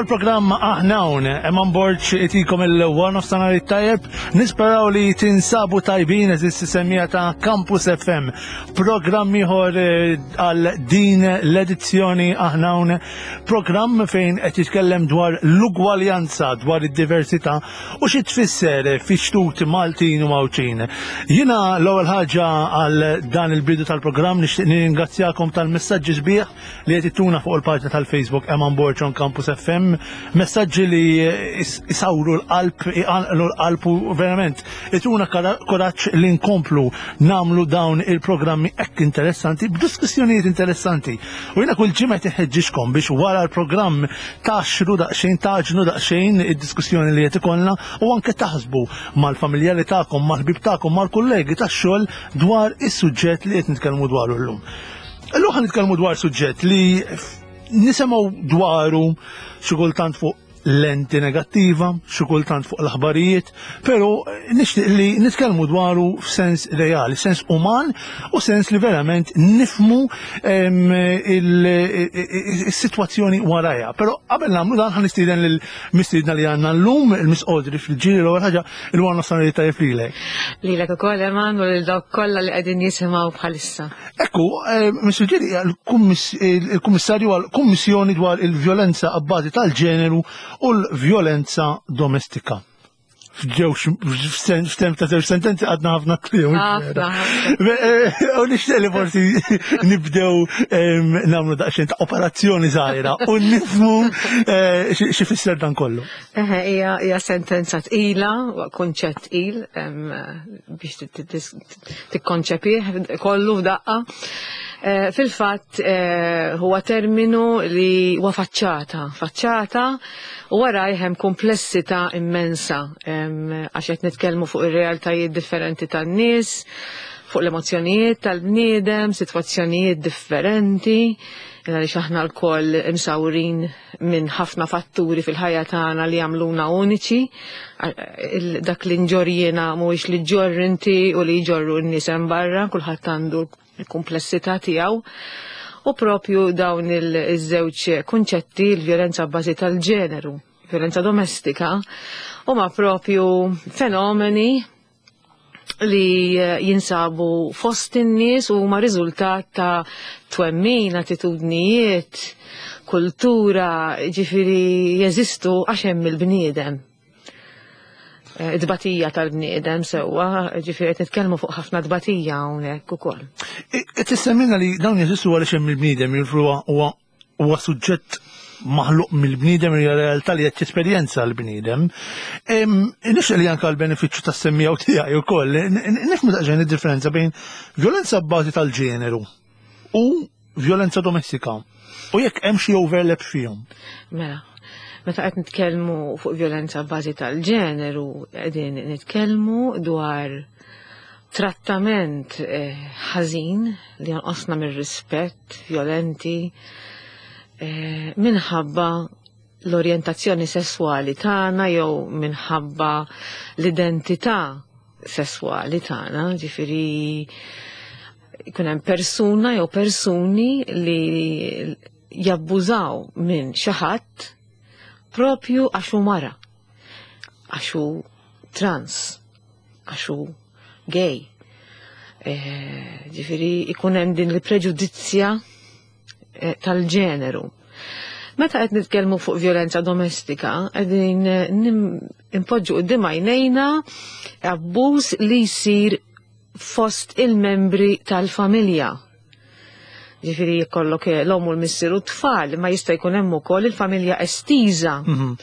il-programm Aħna Hawn, Eman Borg itikom il-one of sanari tajjeb, nisperaw li tinsabu tajbin eżis semmija ta' Campus FM. Programm ieħor eh, għal din l-edizzjoni Aħna Hawn, programm fejn qed jitkellem dwar l-ugwaljanza, dwar id-diversità u xi tfisser fi xtut Maltin u Mawċin. Jiena l-ewwel ħaġa għal dan il-bidu tal-programm nixtieq nirringrazzjakom tal-messaġġi sbieħ li qed ittuna fuq il-paġna tal-Facebook Eman Borg on Campus FM, messaġġi li isawru l-qalb, iqanqlu l-qalb u verament ituna kuraġġ li nkomplu namlu dawn il-programmi hekk interessanti b'diskussjonijiet interessanti. U jiena kull ġimgħa tinħeġġixkom biex wara l-programm taxru daqsxejn, taġnu daqsxejn id-diskussjoni li qed ikollna u anke taħsbu mal-familjari tagħkom, mal-ħbieb tagħkom, mal-kollegi tax-xogħol dwar is-suġġett li qed nitkellmu dwaru llum. Illum ħan nitkellmu dwar suġġett li nisimgħu dwaru xi kultant fuq lenti negattiva, xi kultant fuq l-aħbarijiet, però nixtieq li nitkellmu dwaru f'sens reali, sens uman u sens li verament nifmu il-sitwazzjoni warajha. Però qabel nagħmlu dan ħan nistieden lil mistiedna li għandna llum, il-Miss Audrey fil-ġiri l-ewwel ħaġa il-għan nofsani li tajjeb lilek. Lilek ukoll Eman u lil dawk kollha li qegħdin jisimgħu bħalissa. Ekku, eh, Mr. Ġiri, il-Kummissarju għal-Kummissjoni dwar il-vjolenza abbażi tal-ġeneru u l-vjolenza domestika. F'ġewx, f'temp ta' żewġ sentenzi għadna ħafna kliem. Eh, u nixtieq li forsi nibdew nagħmlu daqsxejn ta' operazzjoni żgħira u nifhmu eh, xi fisser dan kollu. Eħe, hija sentenza tqila, kunċett tqil biex tikkonċepih kollu f'daqqa. Eh, fil-fatt eh, huwa terminu li huwa faċċata, faċċata u wara hemm komplessità immensa għax qed nitkellmu fuq ir-realtajiet differenti tan-nies, fuq l-emozzjonijiet tal-bniedem, sitwazzjonijiet differenti, għaliex aħna lkoll imsawrin minn ħafna fatturi fil-ħajja tagħna li jagħmluna uniċi, dak li nġorr jiena mhuwiex li ġorr inti u li jġorru n-nies hemm barra, kulħadd għandu l-kumplessità tiegħu. U propju dawn iż-żewġ kunċetti, il-vjolenza bbażi tal-ġeneru, vjolenza domestika, huma propju fenomeni li eh, jinsabu fost in-nies u huma riżultat ta' twemmin, attitudnijiet, kultura, ġifiri jeżistu għax hemm il-bniedem. Eh, dbatija tal-bniedem sewwa, ġifiri qed nitkellmu fuq ħafna dbatija hawnhekk ukoll. Qed tissemmilna li dawn jeżistu għaliex hemm il-bniedem, huwa huwa suġġett maħluq mill-bniedem hija realtà li qed jesperjenza l-bniedem. Nixtieq li anke l-benefiċċju tas-semmiegħu tiegħi wkoll, nifhmu daqsxejn id-differenza bejn vjolenza b'bażi tal-ġeneru u vjolenza domestika u jekk hemm xi overlap fihom. Mela, meta qed nitkellmu fuq vjolenza b'bażi tal-ġeneru, qegħdin nitkellmu dwar trattament eh, ħażin li jonqosna mir-rispett violenti eh, minħabba l-orjentazzjoni sesswali tagħna jew minħabba l-identità sesswali tagħna, ġifieri jkun hemm persuna jew persuni li jabbużaw minn xi ħadd propju għax hu mara, għax hu trans, għax hu gay. Eh, ġifieri ikun hemm din il-preġudizzja eh, tal-ġeneru. Meta qed nitkellmu fuq violenza domestika, qegħdin eh, impoġġu quddiem għajnejna abbuż li jsir fost il-membri tal-familja. Ġifieri jkollok eh, l-omm u l-missier u t-tfal, ma jista' jkun hemm ukoll il-familja estiża. Mhm.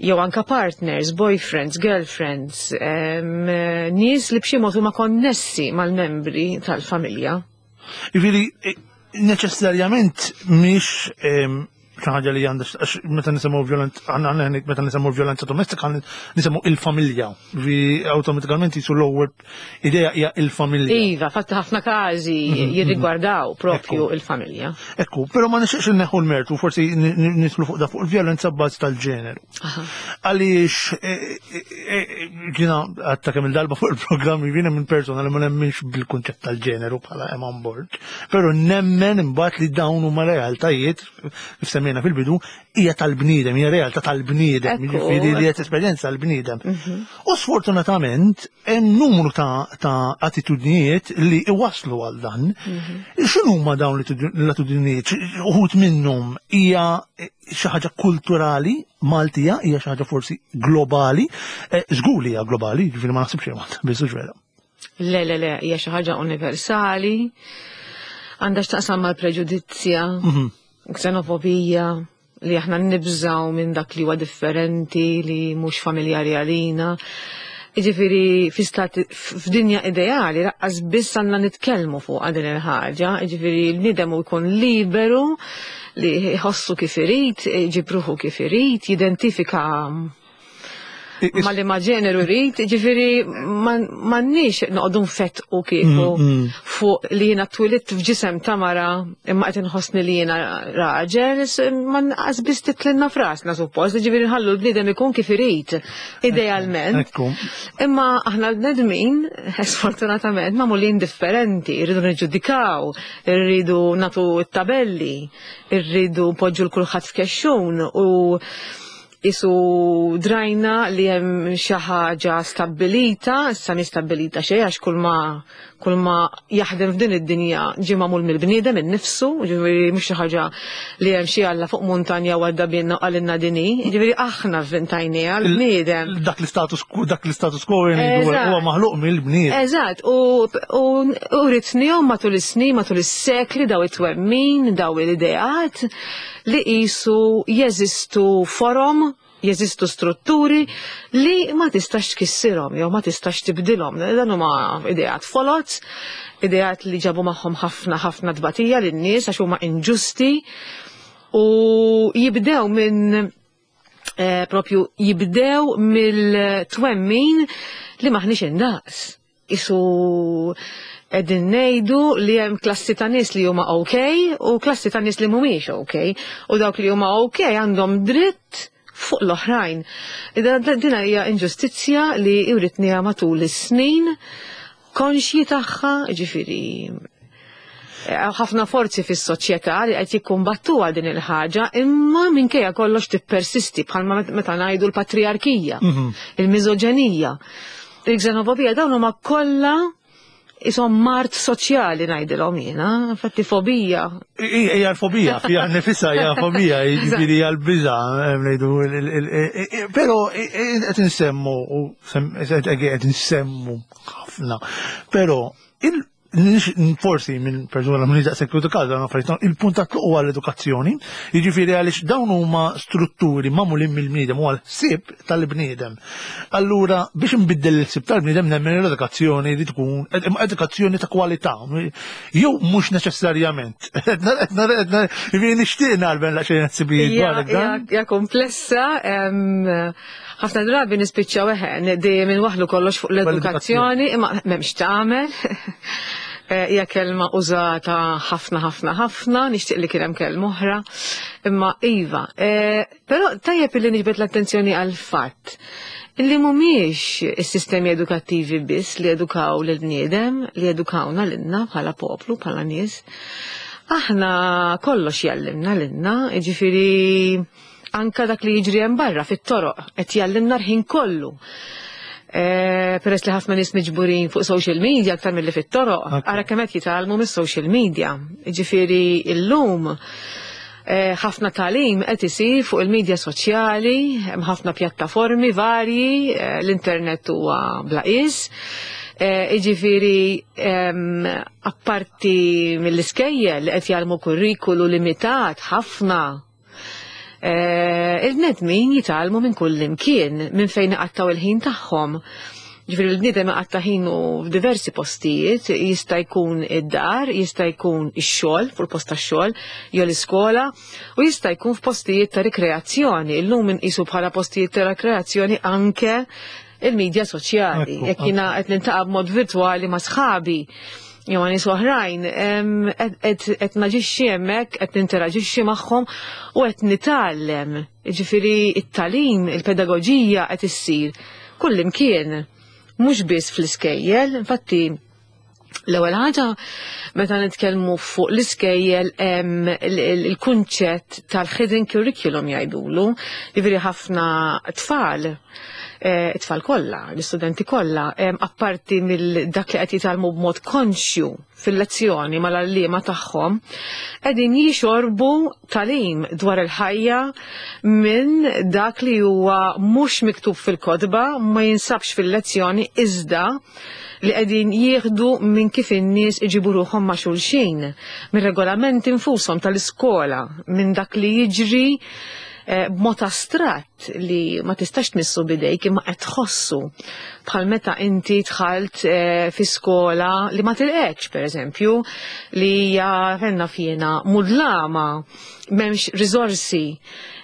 Jew anka partners, boyfriends, girlfriends, eh, nies li b'xi mod huma konnessi mal-membri tal-familja. Ġifieri eh, neċessarjament mhix xi ħaġa li għandha għax meta nisemgħu violenza aħna meta nisemgħu violenza domestika nisemgħu il-familja vi awtomatikament jisu l-ewwel idea hija il-familja. Iva, fatt ħafna każi mhm, mhm. jirrigwardaw propju il-familja. Ekku, però ma nixtieqx inneħħu l-mertu, forsi nislu fuq da fuq il-vjolenza bbażi tal-ġeneru. Għaliex e, e, e, ġina għatta kemm il-darba fuq il-programm jiena minn persona li ma nemminx bil-kunċett tal-ġeneru bħala Eman Borg, però nemmen imbagħad li dawn huma realtajiet kif semmejna. semmejna fil-bidu, hija tal-bniedem, hija realtà tal-bniedem, jiġifieri li qed esperjenza l-bniedem. Mhm. U sfortunatament hemm numru ta', ta attitudnijiet li iwaslu għal dan. Mhm. X'inhuma dawn l-attitudnijiet? Uħud minnhom hija xi ħaġa kulturali Maltija, hija xi ħaġa forsi globali, eh, żgur li hija globali, jiġifieri ma naħsibx li Malta biss vera. Le, le, le, hija xi ħaġa universali, għandha x'taqsam mal-preġudizzja, mhm. ksenofobija, li aħna nibżaw minn dak li huwa differenti, li mhux familjari għalina. Jiġifieri fi stat f'dinja ideali laqqas biss għandna nitkellmu fuq din il-ħaġa, jiġifieri l-bniedem hu jkun liberu li jħossu kif irid, iġib ruħu kif irid, jidentifika ma li ma ġeneru rrit, ġifiri m'għandniex noqogħdu nfettqu kieku mm, mm. fuq li jiena twilidt f'ġisem ta' mara imma qed inħossni li jiena raġel, ma nqas biss titlinna frasna suppost, ġifiri nħallu l-bniedem ikun kif irid, idealment. Imma aħna l-bnedmin, sfortunatament, magħmulin differenti, irridu niġġudikaw, irridu natu t-tabelli, irridu npoġġu l-kulħadd f'kexxun u Qisu drajna li hemm xi ħaġa stabbilita, issa mhi stabbilita xejn għax kull ma kull ma jaħdem f'din id-dinja ġie magħmul mill-bniedem innifsu, jiġifieri mhux xi ħaġa li hemm xi Alla fuq muntanja u għadda binna u qalilna din hi, jiġifieri aħna vvintajniha l-bniedem. Dak l-istatus dak l-istatus quo huwa maħluq mill-bniedem. Eżatt, u u ritnihom matul is-snin, matul is-sekli daw it-twemmin, daw l-ideat li qisu jeżistu forom, jeżistu strutturi li ma tistax tkissirhom jew ma tistax tibdilhom. Dan huma ideat foloz, ideat li ġabu magħhom ħafna ħafna tbatija lin-nies għax huma inġusti u jibdew minn eh, propju jibdew mill-twemmin li maħniex indaqs. Isu qegħdin ngħidu li hemm klassi ta' nies li huma ok u klassi ta' nies li mhumiex ok. U dawk li huma ok għandhom dritt fuq l-oħrajn. Din hija inġustizzja li writniha matul is-snin konxji tagħha, ġifieri eh, ħafna forzi fis-soċjetà li qed jikkumbattu għal din il-ħaġa, imma minkejja kollox tippersisti bħalma meta ngħidu l-patrijarkija, mhm. il-miżoġenija. Il-xenofobija dawn huma kollha isom mart soċjali ngħidilhom jiena, infatti fobija. Hija l-fobija, fija nifisha hija fobija, jiġifieri hija l-biża' ngħidu. Però qed insemmu qed insemmu ħafna. Però forsi minn persuna minn daqshekk edukata dan affarijiet il-punt ta' tluq huwa l-edukazzjoni, jiġifieri għaliex dawn huma strutturi magħmulin mill-bniedem u għall-ħsieb tal-bniedem. Allura biex nbiddel il-ħsieb tal-bniedem nemmen l-edukazzjoni li tkun edukazzjoni ta' kwalità. Jew mhux neċessarjament. Jiġifieri nixtieq nagħlben laqxejn ħsibijiet dwar dan. Hija komplessa, ħafna drabi nispiċċaw eħe, dejjem inwaħħlu kollox fuq l-edukazzjoni, imma m'hemmx tagħmel. Eh, hija kelma użata ħafna ħafna ħafna, nixtieq li kien hemm kelma oħra. Imma iva, eh, però tajjeb illi niġbed l-attenzjoni għal fatt illi mhumiex is-sistemi edukattivi biss li edukaw lil bniedem, li edukawna lilna bħala poplu, bħala nies. Aħna kollox jallimna lilna, jiġifieri Anka dak li jiġri hemm barra fit-toroq qed jgħallimna l-ħin kollu. E, peress li ħafna nies miġburin fuq social media aktar milli fit-toroq, ara kemm qed jitgħallmu mis-social media. Jiġifieri llum e, ħafna tagħlim qed isir fuq il-medja soċjali, hemm ħafna pjattaformi varji, e, l-internet huwa bla qies. Jiġifieri apparti mill-iskejjel li qed jgħallmu kurrikulu limitat ħafna Eh, il-bnedmin jitgħallmu minn kull imkien, minn fejn iqattaw il-ħin tagħhom. Ġifieri l-bniedem iqatta' ħinu f'diversi postijiet, jista' jkun id-dar, jista' jkun ix-xogħol, fuq il-post tax-xogħol, jew l-iskola, u jista' jkun f'postijiet ta' rikreazzjoni. Illum inqisu bħala postijiet ta' rikreazzjoni anke il-medja soċjali. Jekk jiena qed nintaqa' b'mod virtwali ma' sħabi jew ma' nies oħrajn, qed naġixxi hemmhekk, qed ninteraġixxi magħhom u qed nitgħallem. Jiġifieri t-tagħlim, il-pedagoġija qed issir kullimkien, mhux biss fl-iskejjel, infatti. L-ewwel ħaġa meta nitkellmu fuq l-iskejjel hemm il-kunċett tal-hidden curriculum jgħidulu, jiġifieri ħafna tfal it-tfal kollha, l-istudenti kollha, apparti mill dak li qed jitgħallmu b'mod konxju fil-lezzjoni mal-għalliema tagħhom, qegħdin jixorbu tagħlim dwar il-ħajja minn dak li huwa mhux miktub fil-kotba, ma jinsabx fil-lezzjoni iżda li qegħdin jieħdu minn kif in-nies iġibu ruħhom ma' xulxin, mir-regolamenti nfushom tal-iskola, minn dak li jiġri b'mod astratt li ma tistax tmissu bidejk imma qed tħossu bħal meta inti dħalt fi skola li ma tilqekx pereżempju li hija fenna fjena mudlama, m'hemmx riżorsi,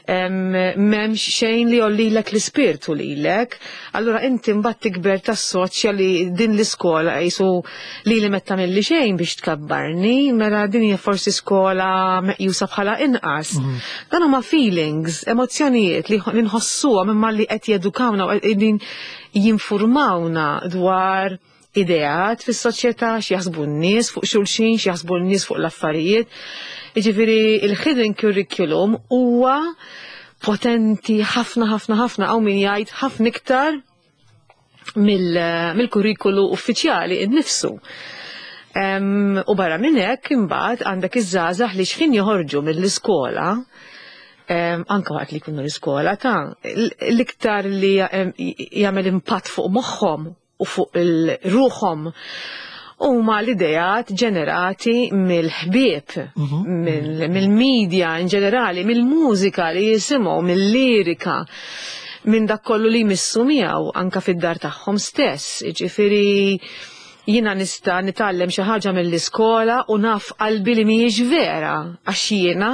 m'hemmx xejn li jollilek l-ispirtu lilek, allura inti mbagħad tikber tassoċja li din l-iskola qisu li li metta milli xejn biex tkabbarni, mela din hija forsi skola meqjusa bħala inqas. Dan huma feelings, emozzjonijiet li nħossuhom imma li qed jedukawna u qegħdin jinfurmawna dwar ideat fis-soċjetà, x'jaħsbu n-nies fuq xulxin, x'jaħsbu n-nies fuq l-affarijiet. Jiġifieri il-hidden curriculum huwa potenti ħafna ħafna ħafna, hawn min jgħid ħafna iktar mill-kurrikulu uffiċjali innifsu. U barra minn hekk imbagħad għandek iż-żgħażagħ li x'ħin joħorġu mill-iskola, anke waqt li jkunu l-iskola ta' l-iktar li jagħmel impatt fuq moħħhom u fuq il-ruħhom huma l-ideat ġenerati mill-ħbieb, mill-media in ġenerali, mill-mużika li jisimgħu, mill-lirika, minn dak kollu li jmissu miegħu anka fid-dar tagħhom stess. Jiġifieri jiena nista' nitgħallem xi ħaġa mill-iskola u naf qalbi li mhijiex vera għax jiena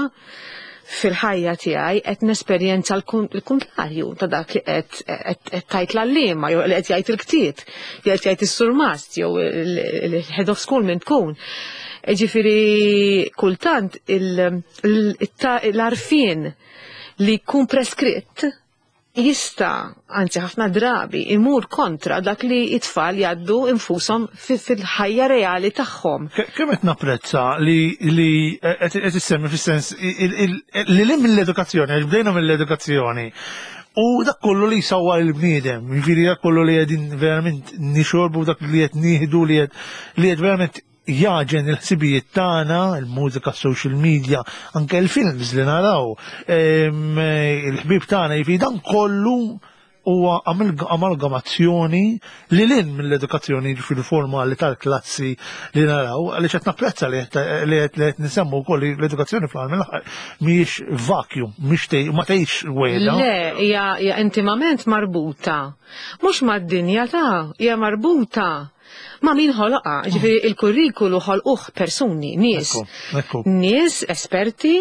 fil-ħajja tiegħi qed nesperjenza l-kuntrarju ta' dak li qed tgħid l-għalliema jew li qed jgħid il-ktieb, jew qed jgħid is-surmast jew il-head of school minn tkun. Ġifieri kultant l-għarfien li jkun preskritt jista', anzi ħafna drabi, imur kontra dak li it-tfal jgħaddu infushom fil-ħajja reali tagħhom. Kemm qed napprezza li qed issemmi fis-sens li li mill-edukazzjoni, għax bdejna mill-edukazzjoni, u dak kollu li jsawwar il-bniedem, jiġifieri dak kollu li qegħdin verament nixorbu, dak li qed nieħdu, li qed verament jaġen il-ħsibijiet tagħna, il-mużika, social media, anke il-films li naraw, il-ħbieb tagħna, jiġifieri dan kollu huwa amalgamazzjoni li lin mill-edukazzjoni jiġifieri formali tal-klassi li naraw, għaliex qed napprezza li qed nisemmu wkoll li l-edukazzjoni fl-aħħar mill-aħħar mhijiex vacuum, mhix ma tgħix wejda. Le, hija intimament marbuta. Mhux mad-dinja ta' hija marbuta ma' min ħoloqha, ġifieri il-kurrikulu ħolquh persuni, nies. Nies esperti,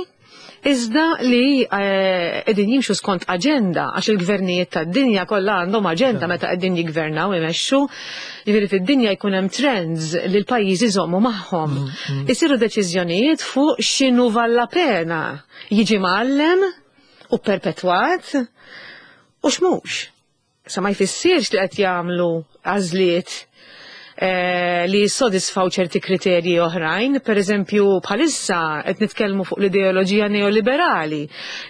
iżda li qegħdin jimxu skont aġenda, għax il-gvernijiet tad-dinja kollha għandhom aġenda meta qegħdin jiggvernaw imexxu. Ġifieri fid-dinja jkun hemm trends li l-pajjiżi jżommu magħhom. Isiru deċiżjonijiet fuq x'inhu valla pena jiġi mgħallem u perpetwat u x'mhux. Sa ma jfissirx li qed jagħmlu għażliet li jissodisfaw ċerti kriterji oħrajn, per eżempju bħalissa qed nitkellmu fuq l-ideoloġija neoliberali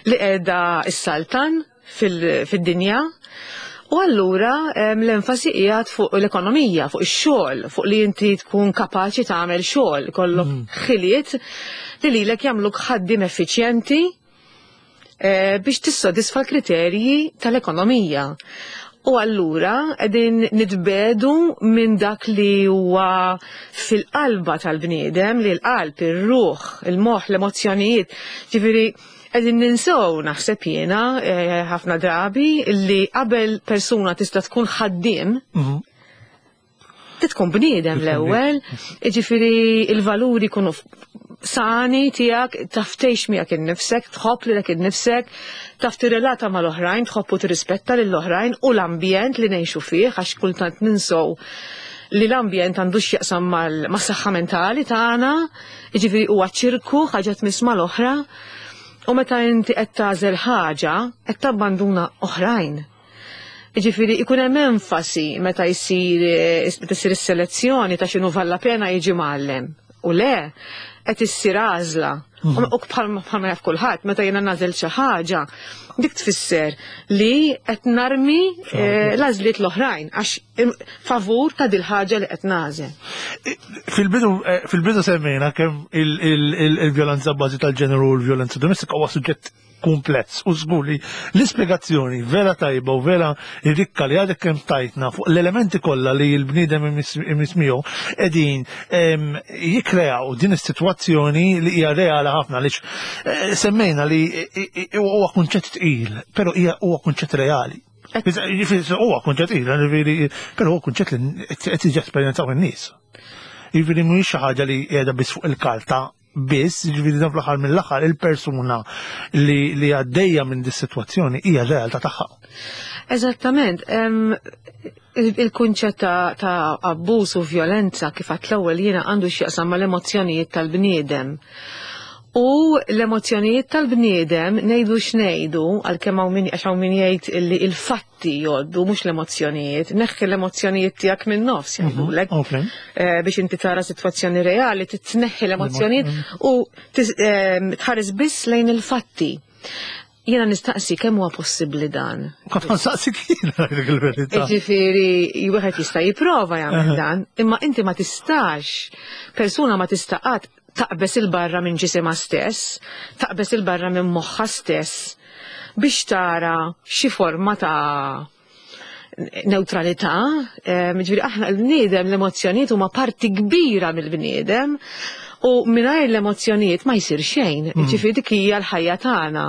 li qiegħda s-saltan fid-dinja. U allura l-enfasi qiegħed fuq l-ekonomija, fuq ix-xogħol, fuq li inti tkun kapaċi tagħmel xogħol, kollok ħiliet li lilek jagħmluk ħaddiem effiċjenti biex tissodisfa l-kriterji tal-ekonomija. U allura qegħdin nitbedu minn dak li huwa fil-qalba tal-bniedem, li l-qalb, ir-ruħ, il-moħħ, l-emozzjonijiet. Ġifieri qegħdin ninsew naħseb jiena ħafna drabi li qabel persuna tista' tkun ħaddiem, tkun bniedem l-ewwel, jiġifieri il-valuri jkunu sani tiegħek, taf tgħix miegħek innifsek, tħobb lilek innifsek, taf tirrelata mal-oħrajn, tħobb u tirrispetta lill-oħrajn u l-ambjent li ngħixu fih, għax kultant ninsew li l-ambjent għandu x'jaqsam mas-saħħa mentali tagħna, jiġifieri huwa ċirku, ħaġa tmiss mal-oħra, u meta inti qed tagħżel ħaġa, qed tabbanduna oħrajn. Ġifieri ikun hemm enfasi meta jsir meta ssir is-selezzjoni ta' x'inhu valla pena jiġi mgħallem. U le, qed issir għażla. U bħalma jaf kulħadd, meta jiena nagħżel xi ħaġa, dik tfisser li qed narmi l-għażliet l-oħrajn għax favur ta' dil-ħaġa li qed nagħżel. Fil-bidu fil-bidu semmejna kemm il-vjolenza bażi tal-ġeneru u l-vjolenza domestika huwa suġġett kumpless u żgur li l-ispjegazzjoni vera tajba u vera rikka li għadek kemm tajtna fuq l-elementi kollha li l-bniedem imiss miegħu qegħdin jikkreaw din is-sitwazzjoni li hija reali ħafna għaliex eh, semmejna li huwa kunċett tqil, però hija huwa kunċett reali. Jiġifieri huwa kunċett tqil, jiġifieri, però huwa kunċett li qed jiġi esperjenzaw in-nies. Jiġifieri mhijiex xi ħaġa li qiegħda biss fuq il-karta biss, jiġifieri dan fl-aħħar mill-aħħar il-persuna li, li għaddejja minn dis-sitwazzjoni hija r-realtà tagħha. Eżattament, il-kunċett ta', ta abbuż u vjolenza kif għat l-ewwel jiena għandu x'jaqsam mal-emozzjonijiet tal-bniedem. U l-emozzjonijiet tal-bniedem ngħidu x'ngħidu għalkemm hawn min għax hawn min jgħid illi il-fatt il-fatti jgħoddu mhux l-emozzjonijiet. Neħħi l-emozzjonijiet tiegħek minn nofs mhm, jgħidulek. Eh, biex inti tara sitwazzjoni reali titneħħi l-emozzjonijiet u ehm, tħares biss lejn il-fatti. Jiena nistaqsi kemm huwa possibbli dan. Kont nistaqsi kien il-verità. Ġifieri wieħed jista' jipprova jagħmel dan, imma inti ma tistax, persuna ma tista' qatt taqbeż il-barra minn ġisimha stess, taqbeż il-barra minn moħħha stess biex tara xi forma ta' neutralità, ġifieri aħna l-bniedem l-emozzjonijiet huma parti kbira mill-bniedem u mingħajr l-emozzjonijiet ma jsir xejn, ġifieri dik hija l-ħajja tagħna.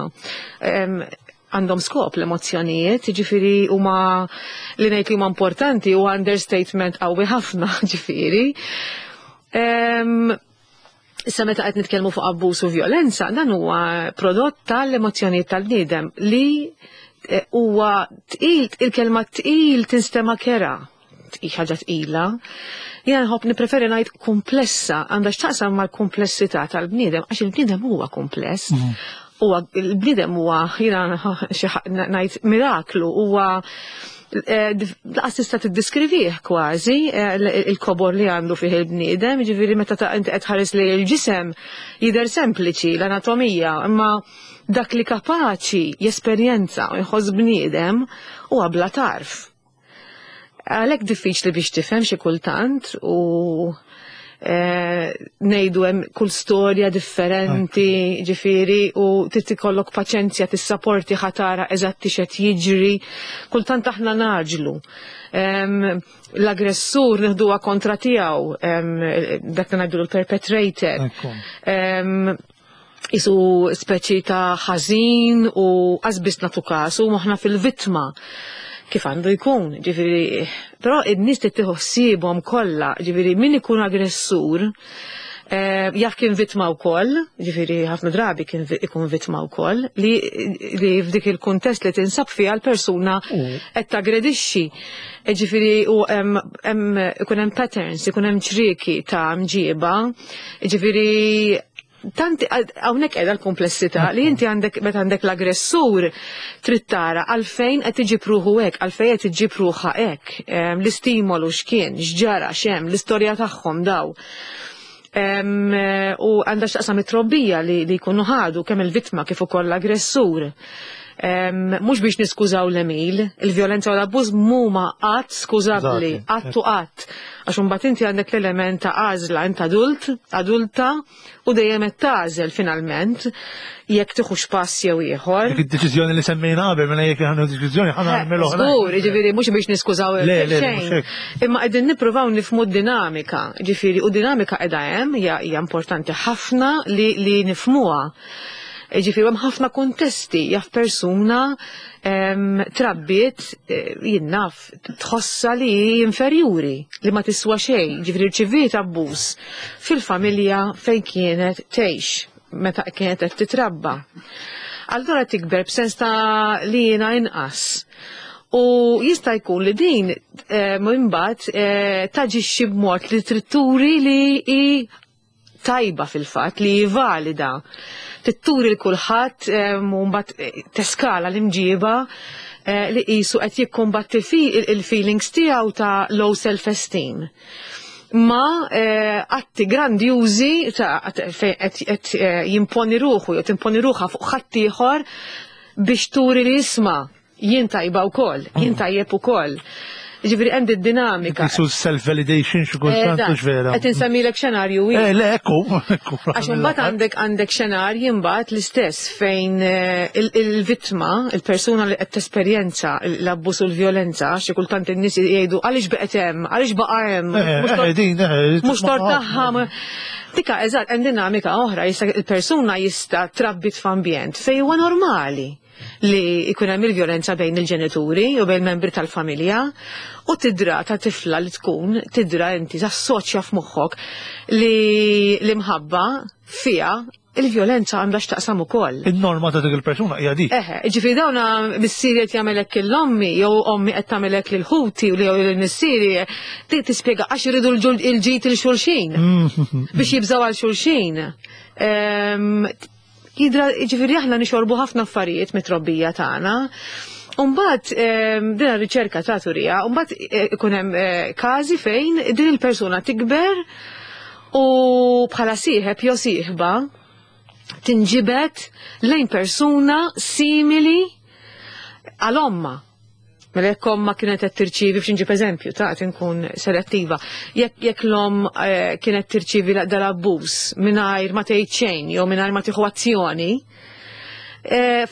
Għandhom skop l-emozzjonijiet, ġifieri huma li ngħid li huma importanti huwa understatement qawwi ħafna, ġifieri. Issa meta qed nitkellmu fuq abbuż u vjolenza, dan huwa prodott tal-emozzjonijiet tal-bniedem li eh, huwa tqil, il-kelma tqil tinstema' kera, ħaġa tqila. Jiena nħobb nippreferi ngħid komplessa, għandha x'taqsam mal-komplessità tal-bniedem, għax il-bniedem huwa kompless. Mhm. Huwa il-bniedem huwa jiena ngħid miraklu, huwa eh, laqas tista' tiddiskrivih kważi eh, il-kobor li għandu fih il-bniedem, jiġifieri meta ta' inti qed tħares li l-ġisem jidher sempliċi l-anatomija, imma dak li kapaċi jesperjenza u jħoss bniedem huwa bla tarf. Għalhekk diffiċli biex tifhem xi kultant u eh, ngħidu hemm kull storja differenti, ġifieri, u trid ikollok paċenzja tissaporti ħatara eżatti x'qed jiġri. Kultant aħna naġlu. L-aggressur nieħduha kontra tiegħu, dak li ngħidu l-perpetrator. Isu speċi ta' ħażin u qasbis nagħtu kasu moħħna fil-vittma kif għandu jkun, ġifieri, però in-nies trid tieħu ħsiebhom kollha, ġifieri min ikun aggressur eh, jaf kien vittma wkoll, ġifieri ħafna drabi kien ikun vittma wkoll, li, li f'dik il-kuntest li tinsab fiha l-persuna qed tagredixxi. E ġifieri u hemm ikun hemm patterns, ikun hemm ċrieki ta' mġieba, ġifieri tant hawnhekk qiegħda l-komplessità li inti għandek meta għandek l-aggressur trid tara għalfejn qed iġib ruħu hekk, għalfejn qed iġib ruħha hekk, l-istimolu x'kien, x'ġara, x'hemm, l-istorja tagħhom daw. U għandha x'taqsam it-trobbija li jkunu ħadu kemm il-vittma kif ukoll l-aggressur. Mhux biex niskużaw l-emil, il-vjolenza u l-abbuż mhuma qatt skużabbli, qatt u qatt. Għax imbagħad inti għandek l-element ta' għażla, int adult, adulta, u dejjem qed tagħżel finalment jekk tieħux pass jew ieħor. Dik id-deċiżjoni li semmejna qabel mela jekk ħanu deċiżjoni ħana nagħmel oħra. Żgur, jiġifieri mhux biex niskużaw xejn. Imma qegħdin nippruvaw nifhmu d-dinamika, ġifieri u dinamika qiegħda hemm hija importanti ħafna li li nifhmuha. Ġifieri hemm ħafna kuntesti jaf persuna trabbiet eh, jien naf tħossha li hi inferjuri, li ma tiswa xejn, ġifieri rċiviet abbuż fil-familja fejn kienet tgħix meta kienet qed titrabba. Allura tikber b'sens ta' li jiena inqas. U jista' jkun li din eh, imbagħad eh, taġixxi b'mod li trid turi li hi tajba fil-fatt li hi valida. Trid turi l kulħadd u mbagħad teskala l-imġiba li qisu qed jikkumbatti fi il-feelings tiegħu ta' low self-esteem ma atti grandjużi ta' fejn qed jimponi ruħu jew timponi ruħha fuq ħaddieħor biex turi li jisma' jien tajba wkoll, jien tajjeb ukoll. Ġifieri hemm dinamika. Qisu self-validation xi kultant Eżatt. mhux vera. Qed insemmilek xenarju Eh, wieħed. le, ekku, ekku. Għax imbagħad għandek xenarji imbagħad l-istess fejn il-vittma, il-persuna li qed tesperjenza l-abbuż u l-vjolenza, xi kultant in-nies jgħidu għaliex beqgħet hemm, għaliex baqa' hemm, mhux Din, mhux tort tagħha. Dika eżatt hemm dinamika oħra, jista' il-persuna jista' trabbit f'ambjent fejn huwa normali li jkun hemm il-vjolenza bejn il-ġenituri u bejn membri tal-familja u tidra ta' tifla li tkun tidra inti tassoċja f'moħħok li l-imħabba fiha il-vjolenza għandha x'taqsam ukoll. Il-norma ta' dik il-persuna hija dik. Eħe, ġifieri dawna missieri qed jagħmel hekk lill-ommi jew ommi qed tagħmel hekk lil ħuti u jew lil missieri, tispjega għax iridu il-ġid il xulxin biex jibżgħu għal xulxin. Jidra, ġifieri aħna nixorbu ħafna affarijiet mit-trobbija tagħna. Umbagħad din ir-riċerka ta' turija, umbagħad ikun hemm każi fejn din il-persuna tikber u bħala sieħeb jew sieħba tinġibed lejn persuna simili għal omma. Mela jekk omma kienet qed tirċievi, biex inġib eżempju, ta' qed inkun selettiva, jekk l-omm kienet tirċievi dal-abbuż mingħajr ma tgħid xejn jew mingħajr ma tieħu azzjoni,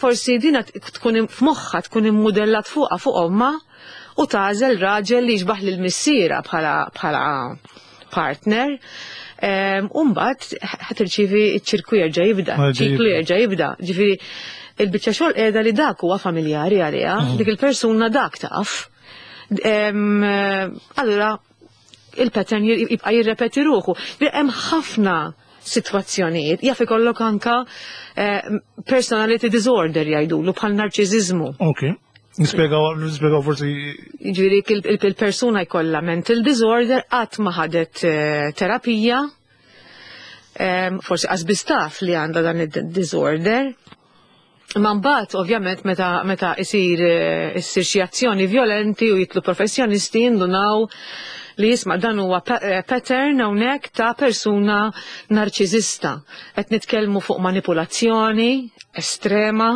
forsi dina tkun f'moħħha tkun immudellat fuqha fuq omma u tagħżel raġel li jixbaħ lil missiera bħala partner. U mbagħad ħa tirċievi ċ-ċirku jerġa' jibda, Ma jerġa' ċiklu jibda. jerġa' jibda. Ġifieri il-biċċa xogħol qiegħda li dak huwa familjari għaliha, dik il-persuna dak taf. Allura il-pattern jibqa' jirrepeti ruħu. Hemm ħafna sitwazzjonijiet, jaf ikollok anka personality disorder jgħidulu bħal narċiżiżmu. Ok. Nispjegaw forsi. Ġifieri il-persuna jkollha mental disorder qatt ma ħadet terapija, forsi qas biss taf li għandha dan id-disorder. Ma mbagħad ovvjament meta issir xi azzjoni violenti u jitlu professjonisti jindunaw li jisma' dan huwa pattern hawnhekk ta' persuna narċiżista. Qed nitkellmu fuq manipulazzjoni estrema,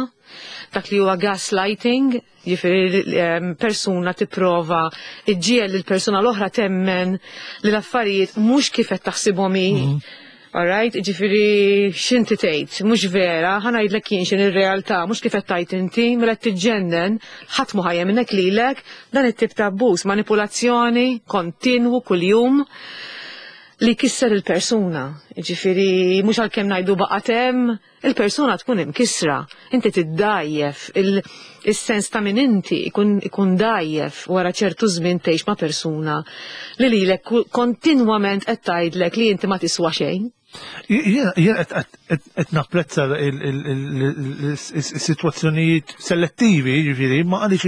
dak li huwa gaslighting, jiġifieri persuna tipprova iġġiegħel lill-persuna l-oħra temmen li l-affarijiet mhux kif qed taħsibhom hi. All right, ġifieri x'inti tgħid, mhux vera, ħa ngħidlek jien x'in ir-realtà, mhux kif qed tgħid inti, mela qed tiġġennen, ħadd mhu ħajja minnek lilek, dan it-tip ta' abbuż, manipulazzjoni kontinwu kuljum li kisser il-persuna. Ġifieri mhux għalkemm ngħidu baqgħet hemm, il-persuna tkun imkissra, inti tiddajjef, il-sens ta' min inti ikun dajjef wara ċertu żmien tgħix ma' persuna li lilek kontinwament qed tgħidlek li inti ma tiswa xejn. Jien qed napprezza il-sitwazzjonijiet selettivi, ġifieri, ma għaliex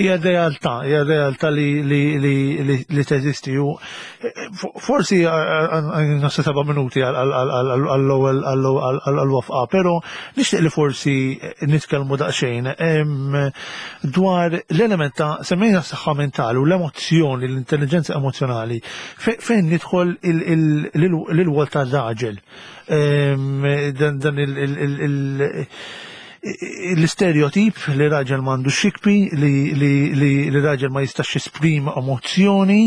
hija realtà, hija realtà li teżisti u forsi nofs 7 minuti għall-ewwel għall-wafqa, però nixtieq li forsi nitkellmu daqsxejn dwar l-element ta' semmejna s-saħħa mentali u l-emozzjoni, l-intelligenza emozjonali, fejn nidħol l-wol ta' raġel. Dan l-istereotip li raġel m'għandu xikpi, li raġel ma jistax jesprimi emozzjoni,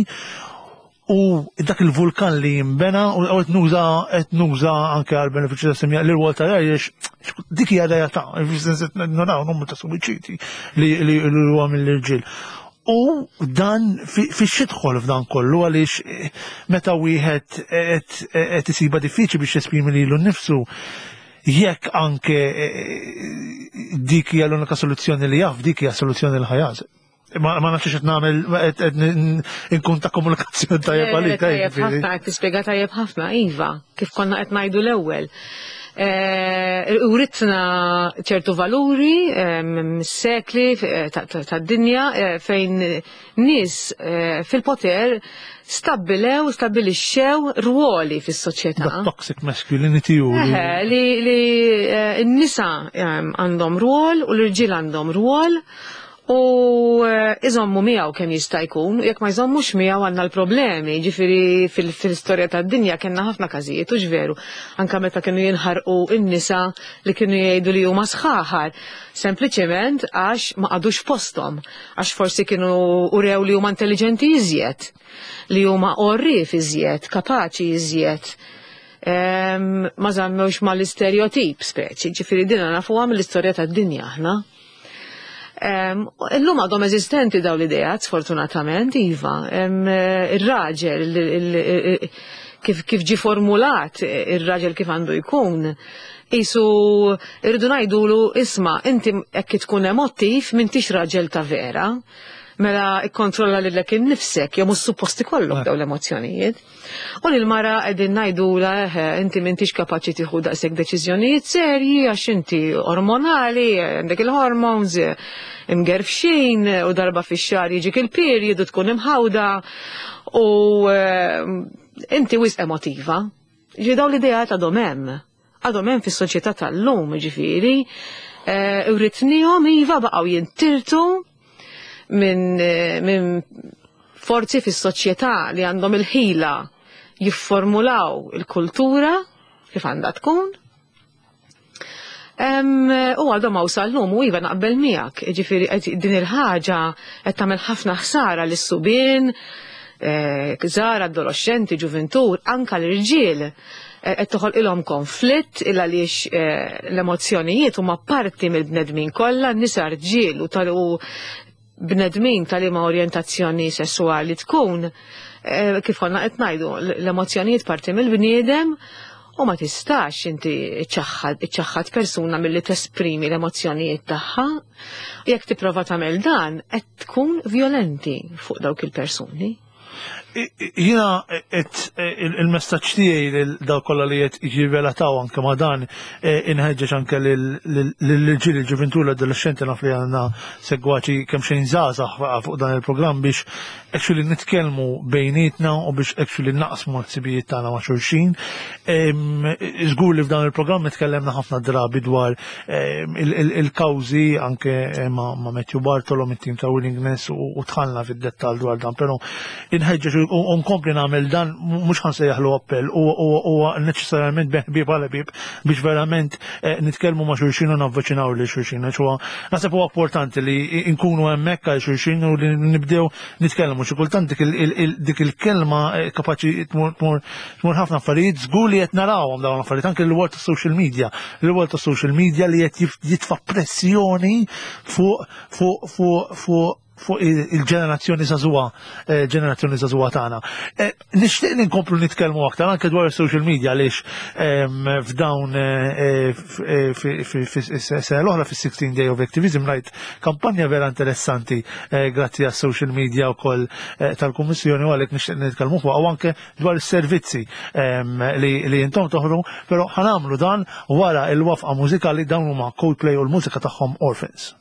u dak il-vulkan li jimbena, u qed nuża anke għal benefiċċju ta' semja li l-wol ta' raġel, dik hija realtà, fis-sens qed naraw numru ta' suwiċidi li huwa mill-irġiel. U dan fi xidħol f'dan kollu għaliex meta wieħed qed isiba diffiċli biex jesprimi lilu nnifsu, jekk anke dik hija l-unika soluzzjoni li jaf, dik hija soluzzjoni li ħajaż. Ma nafx qed nagħmel, qed inkun ta' komunikazzjoni tajjeb għalik, Tajjeb ġifieri. ħafna, qed tispjega tajjeb ħafna, iva, kif konna qed ngħidu l-ewwel. Uritna ċertu valuri mis-sekli tad-dinja fejn nies fil-poter stabbilixxew rwoli fis-soċjetà. The toxic masculinity u li Eħe, li n-nisa għandhom rwol u l-irġiel għandhom rwol. U eh, iżommu miegħu kemm jista' jkun, jekk ma jżommux miegħu għandna l-problemi, ġifieri fil-istorja tad-dinja kellna ħafna każijiet, u veru, anka meta kienu jinħarqu n-nisa li kienu jgħidu li huma sħaħar, sempliċement għax ma qagħdux posthom, għax forsi kienu urew li huma intelligenti iżjed, li huma għorrief iżjed, kapaċi iżjed. Ma żammewx mal-istereotip speċi, ġifieri dina nafuha mill-istorja tad-dinja aħna. Illum għadhom eżistenti daw l-ideat, sfortunatament, iva. Ir-raġel, kif ġi formulat ir-raġel kif għandu jkun, jisu irridu ngħidulu isma' inti hekk tkun emottiv m'intix raġel ta' vera. Mela ikkontrolla lilek innifsek, jew mhux suppost ikollok dawn l-emozzjonijiet. U lil mara qegħdin ngħidula eħe inti m'intix kapaċi tieħu daqshekk deċiżjonijiet serji għax inti ormonali, għandek il-hormones imgerfxin u darba fix-xahar jiġik il-period u tkun imħawda u eh, inti wisq emotiva. Ġi daw l-ideat għadhom hemm. Għadhom hemm fis-soċjetà tal-lum, ġifieri, eh, uritnihom iva baqgħu jintirtu minn eh, min forzi fis-soċjetà li għandhom il-ħila jifformulaw il-kultura kif għandha tkun. U għadhom hawn sal-lum u iva naqbel miegħek, ġifieri din il-ħaġa qed tagħmel ħafna ħsara lis-subien, eh, żgħar, adolescenti, ġuventur, anka l-irġiel eh, qed toħolqilhom konflitt il għaliex eh, l-emozzjonijiet huma parti mill-bnedmin kollha, nisa rġiel u tal bnedmin tal-ima orjentazzjoni sessuali tkun, eh, kif konna qed ngħidu, l-emozzjonijiet parti mill-bniedem u ma tistax inti iċċaħħad persuna milli tesprimi l-emozzjonijiet tagħha. Jekk tipprova tagħmel dan, qed tkun violenti fuq dawk il-persuni. Jina il-messaġġ tiegħi lil dawk kollha li qed jirrelataw anke ma' dan e, inħeġġeġ anke lill-irġiel il-ġuventur l-adolescenti naf li għandna segwaċi kemm xejn żgħażagħ fuq dan il-programm biex actually nitkellmu bejnietna u biex actually naqsmu l-ħsibijiet tagħna ma' xulxin. Żgur li f'dan il-programm itkellemna ħafna drabi dwar il-kawżi anke eh, ma' Matthew Bartolo mit-tim ta' Willingness u tħallna fid-dettall dwar dan, però inħeġġeġ u nkompli nagħmel dan mhux ħansejjaħlu appell u neċessarjament ħbieb għal ħbieb biex verament eh, nitkellmu ma' xulxin u navviċinaw lil xulxin. Għax huwa naħseb huwa importanti li nkunu hemmhekk għal xulxin u li nibdew nitkellmu xi kultant dik il-kelma eh, kapaċi tmur Tmur ħafna affarijiet żgur li qed narawhom dawn l-affarijiet anke l-world ta' social media. L-world ta' social media li qed jitfa' pressjoni fuq fuq fuq fuq fuq il-ġenerazzjoni żagħżugħa, eh, ġenerazzjoni żagħżugħa tagħna. Eh, nixtieq li nkomplu nitkellmu aktar anke dwar is-social media għaliex ehm, f'dawn eh, sena l-oħra fis-16 Day of Activism rajt kampanja vera interessanti grazzi għas-social media wkoll tal-Kummissjoni u għalhekk nixtieq nitkellmu fuq u anke dwar is-servizzi ehm, li intom toħru, però ħanamlu dan wara il-wafqa mużikali dawn huma Coldplay u l-mużika tagħhom Orphans.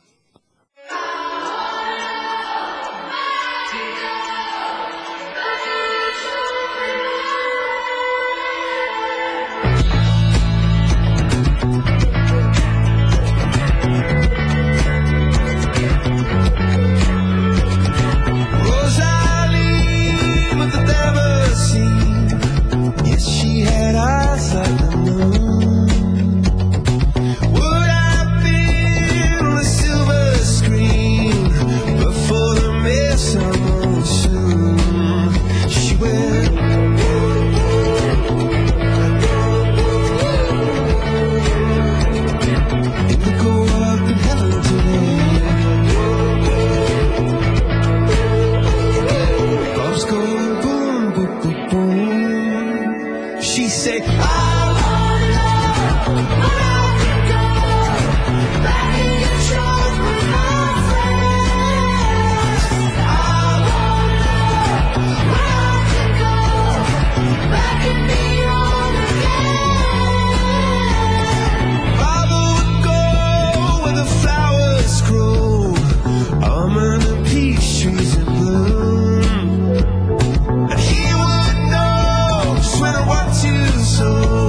So.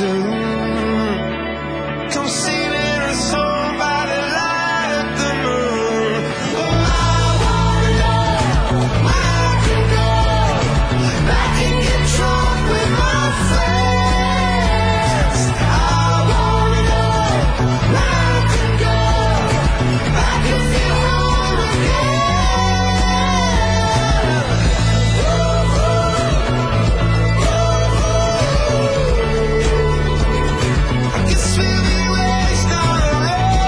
soon. Come singing a song by the light of the moon. Oh, I wanna know where I can go. I can get drunk with my friends. I wanna know where I can go. I can feel home again. I guess we'll be wasted on the road.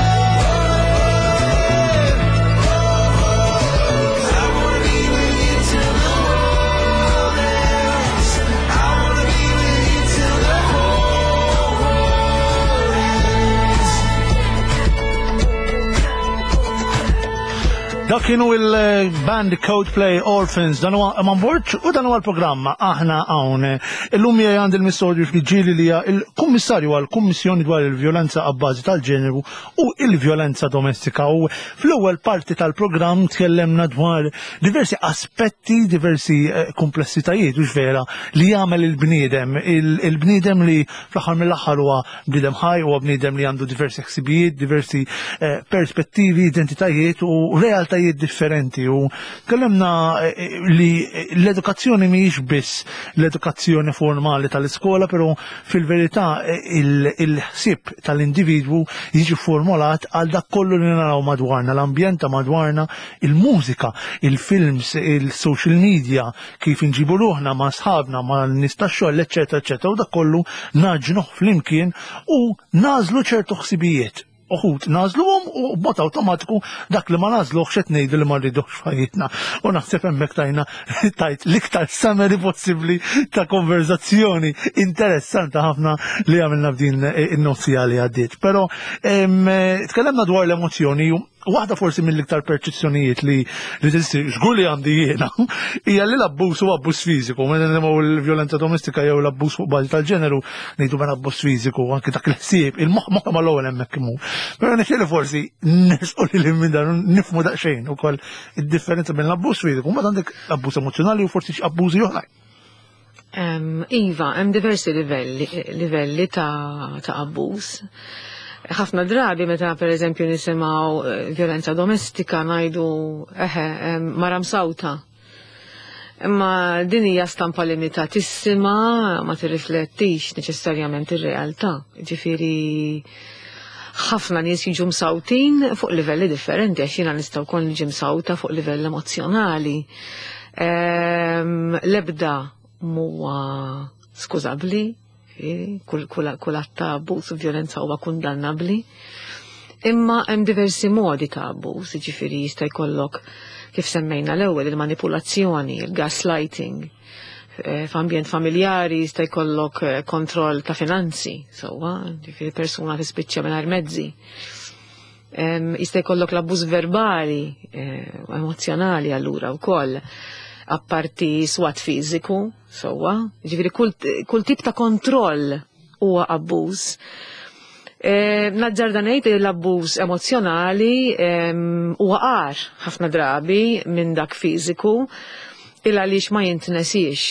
'Cause I wanna be with you till the world ends. I wanna be with you till the whole world ends. Dak kienu il-band Coldplay Orphans, dan huwa Eman Borg u dan huwa l-programm Aħna Hawn. Illum miegħi għandi l-Missur Ġieli li hija il-Kummissarju għall-Kummissjoni dwar il-Vjolenza Abbażi tal-Ġeneru u il-Vjolenza Domestika. U fl-ewwel parti tal-programm tkellemna dwar diversi aspetti, diversi komplessitajiet, u vera li jagħmel il-bniedem, il-bniedem li fl-aħħar mill-aħħar huwa bniedem ħaj, huwa bniedem li għandu diversi ħsibijiet, diversi perspettivi, identitajiet u realtajiet differenti. U tkellimna li l-edukazzjoni mhijiex biss l-edukazzjoni formali tal-iskola, però fil-verità il-ħsieb tal-individwu jiġi formulat għal dak kollu li naraw madwarna, l-ambjent ta' madwarna, il-mużika, il-films, il-social media, kif inġibu ruħna ma' sħabna, ma' nies tax-xogħol, eċċetera, eċċetera. U dak kollu naġnuh flimkien u nażlu ċertu ħsibijiet. Uħud nażluhom u b'mod awtomatiku dak li ma nażluhx qed ngħidu li ma rridux f'ħajjitna. U naħseb hemmhekk tajna tajt l-iktar summary possibbli ta' konverzazzjoni interessanti ħafna li għamilna f'din in-nofsija li għaddiet. Però tkellimna dwar l-emozzjoni. Waħda forsi mill-iktar perċezzjonijiet li li teżisti, żgur li għandi jiena, hija li l-abbuż huwa abbuż fiżiku. Meta nisimgħu l-vjolenza domestika jew l-abbuż fuq bażi tal-ġeneru, ngħidu mela abbuż fiżiku, anki dak il-ħsieb, il-moħħ moħħ mal-ewwel hemmhekk imur. Però nixtieq li forsi nersqu lil minn dan nifhmu daqsxejn ukoll id-differenza bejn l-abbuż fiżiku, mbagħad għandek l-abbuż emozzjonali u forsi xi abbużi oħrajn. Iva, hemm diversi livelli ta' abbuż. Ħafna drabi meta per eżempju nisimgħu violenza domestika ngħidu eħe mara msawta. Imma din hija stampa limitatissima, ma tirriflettix neċessarjament ir-realtà. Ġifieri ħafna nies jiġu msawtin fuq livelli differenti, għax jiena nista' wkoll niġi msawta fuq livell emozzjonali. L-ebda huwa skużabbli, kull att ta' abbuż u violenza huwa kundannabbli. Imma hemm diversi modi ta' abbuż, jiġifieri jista' jkollok kif semmejna l-ewwel il-manipulazzjoni, il-gaslighting. F'ambjent familjari jista' jkollok kontroll ta' finanzi, sewwa, jiġifieri persuna tispiċċa mingħajr mezzi. Jista' jkollok l-abbuż verbali, emozjonali allura wkoll, apparti swat fiżiku, sewwa, jiġifieri kull tip ta' kontroll huwa abbuż. Naġġarda ngħid li l-abbuż emozjonali huwa qar ħafna drabi minn dak fiżiku, il għaliex ma jintnesiex.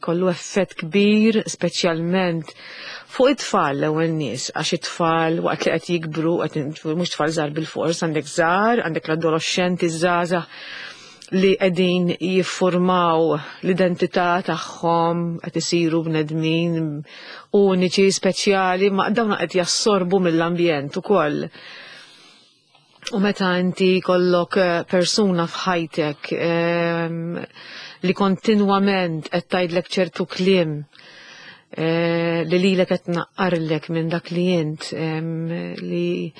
Kollu effett kbir, speċjalment fuq it-tfal l-ewwel nies, għax it-tfal waqt li qed jikbru, mhux tfal żgħar bil-fors, għandek żgħar, għandek l-adolescenti żgħażagħ li qegħdin jiffurmaw l-identità tagħhom, qed isiru bnedmin uniċi, speċjali, ma dawn qed jassorbu mill-ambjent ukoll. U meta inti kollok persuna f'ħajtek li kontinwament qed tgħidlek ċertu kliem li lilek qed tnaqqarlek minn dak li int, li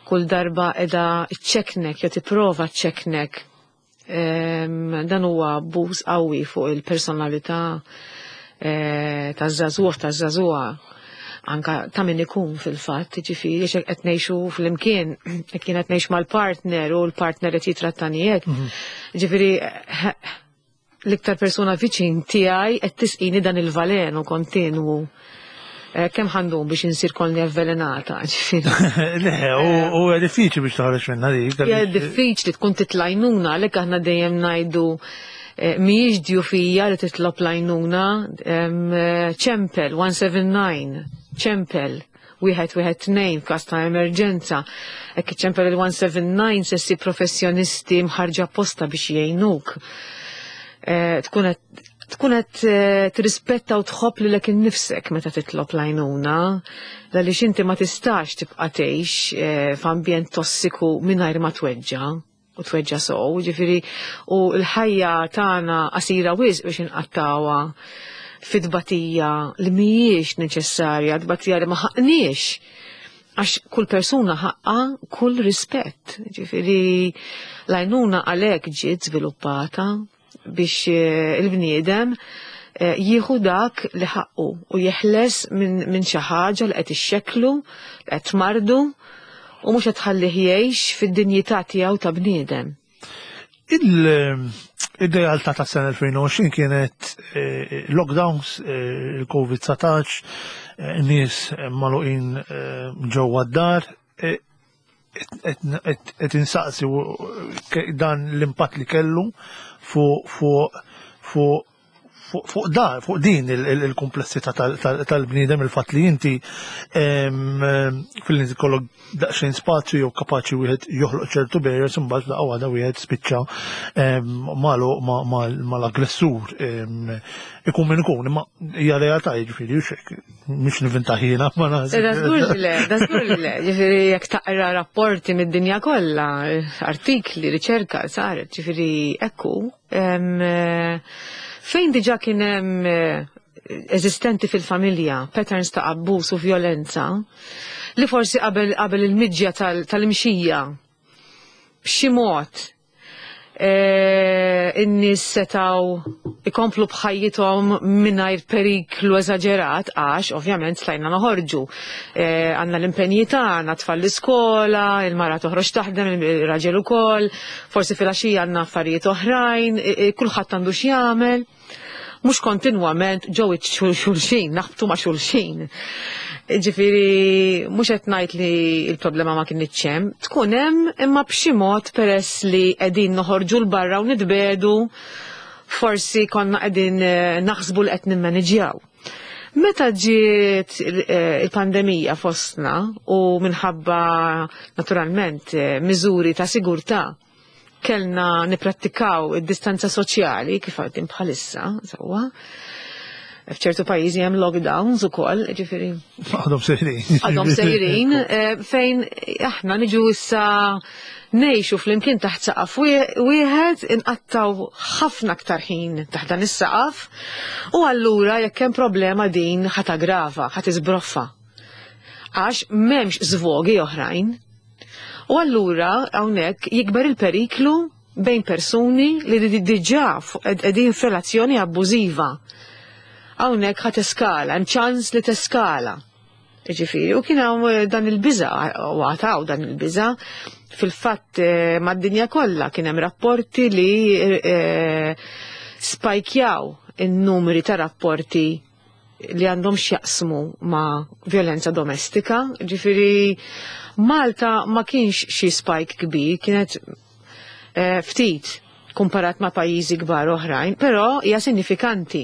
kull darba qiegħda ċċeknek jew tipprova ċċeknek, dan huwa abbuż qawwi fuq il-personalità taż-żagħżugħ, taż-żagħżugħa, anka ta' min ikun fil-fatt, jiġifieri għax qed ngħixu flimkien, jekk jien qed ngħix mal-partner u l-partner qed jitrattani hekk. Ġifieri l-iktar persuna viċin tiegħi qed tisqini dan il-valenu kontinwu. Kemm ħandum biex insir kolni avvelenata, ġifieri. Le, u hija diffiċli biex toħroġ minnha dik. Hija diffiċli tkun titlajnuna, għalhekk aħna dejjem ngħidu Mhijiex djufija li titlob l-għajnuna, ċempel 179, ċempel 112 f'każ ta' emerġenza. Hekk iċċempel il-179 se ssib professjonisti mħarġa apposta biex jgħinuk. Tkun qed tirrispetta u tħobb lilek innifsek meta titlob l-għajnuna, għaliex inti ma tistax tibqa' tgħix f'ambjent tossiku mingħajr ma tweġġa' u tweġġa' sew, ġifieri u l-ħajja tagħna qasira wisq biex inqattawha fit-tbatija li mhijiex neċessarja, tbatija li ma ħaqniex, għax kull persuna ħaqqa kull rispett. Ġifieri l-għajnuna għalhekk ġiet żviluppata biex il-bniedem jieħu dak li ħaqqu u jeħles minn xi ħaġa li qed ixxekklu, li qed tmardu u mhux qed tħallih jgħix fid-dinjità tiegħu ta' bniedem. Il-realtà ta' sena 2020 kienet lockdowns, il-Covid-19, nies magħluqin ġewwa d-dar, qed insaqsi dan l-impatt li kellu fuq din il-komplessità tal-bniedem, il-fatt li inti fil-li kollok daqsxejn spazju jew kapaċi wieħed joħloq ċertu barriers, imbagħad laqgħa waħda wieħed spiċċa mal-aggressur, ikun min ikun, imma hija realtà, jiġifieri hux hekk, mhix nivinta ħina, ma naħseb. Da żgur li le, da żgur li le, ġifieri jekk taqra rapporti mid-dinja kollha, artikli, riċerka saret, ġifieri ekku, fejn diġà kien hemm eżistenti fil-familja patterns ta' abbuż u violenza li forsi qabel il-miġja tal-imxija b'xi mod in-nies setgħu ikomplu b'ħajjithom mingħajr periklu eżaġerat, għax ovvjament stajna noħorġu. Għandna l-impenji tagħna, tfal l-iskola, il-mara toħroġ taħdem, il-raġel ukoll, forsi filgħaxija għandna affarijiet oħrajn, kulħadd għandu x'jagħmel. Mhux kontinwament ġew xulxin, naħbtu ma' xulxin. Ġifieri mhux qed ngħid li l-problema ma kinitx hemm, tkun hemm imma b'xi mod peress li qegħdin noħorġu 'l barra u nitbedu, forsi konna qegħdin naħsbu li qed nimmaniġjaw. Meta ġiet il-pandemija fostna u minħabba naturalment miżuri ta' sigurtà kellna niprattikaw id-distanza soċjali kif għaddin bħalissa, sewwa. F'ċertu pajjiżi hemm lockdowns ukoll, ġifieri. Għadhom sejrin. Għadhom sejrin, fejn aħna niġu issa ngħixu flimkien taħt saqaf wieħed, inqattaw ħafna aktar ħin taħt dan is-saqaf, u allura jekk hemm problema din ħa taggrava, ħa tiżbroffa. Għax m'hemmx żvogi oħrajn. U allura hawnhekk jikber il-periklu bejn persuni li diġà qegħdin f'relazzjoni abbużiva. Hawnhekk ħa teskala, hemm ċans li teskala. Ġifieri, u kien hawn dan il-biża', u għataw dan il-biża', fil-fatt mad-dinja kollha kien hemm rapporti li spajkjaw in-numri ta' rapporti li għandhom x'jaqsmu ma' violenza domestika. Ġifieri Malta ma kienx xi spike kbir, kienet ftit kumparat ma' pajjiżi kbar oħrajn, però hija sinifikanti.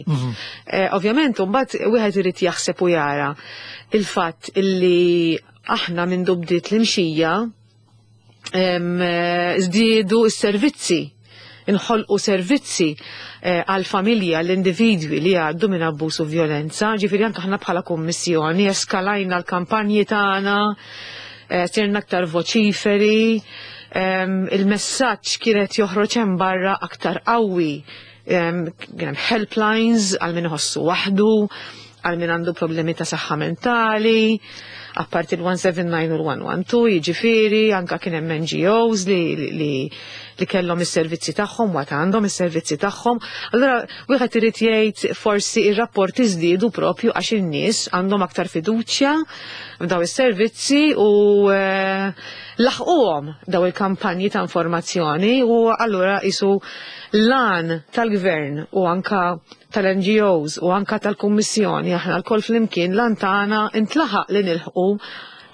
Ovvjament, mbagħad wieħed irid jaħseb u jara il-fatt illi aħna minn bdiet l-imxija żdiedu s-servizzi, inħolqu servizzi għal-familja, l-individwi li għaddu minn abbuż u violenza, ġifieri anke aħna bħala kummissjoni eskalajna l-kampanji tagħna, sirna aktar voċiferi, il-messaġġ kienet joħroġ hemm barra aktar qawwi. Kien hemm helplines għal min iħossu waħdu, għal min għandu problemi ta' saħħa mentali, apparti l-179 u l-112, jiġifieri, anka kien hemm NGOs li kellhom is-servizzi tagħhom, waqt għandhom is-servizzi tagħhom. Allura wieħed irid jgħid forsi ir-rapporti żdiedu propju għax in-nies għandhom aktar fiduċja f'daw is-servizzi u laħquhom daw il-kampanji ta' informazzjoni, u allura isu l-għan tal-gvern u anka tal-NGOs u anka tal-Kummissjoni, aħna lkoll flimkien l-għan tagħna intlaħaq li nilħqu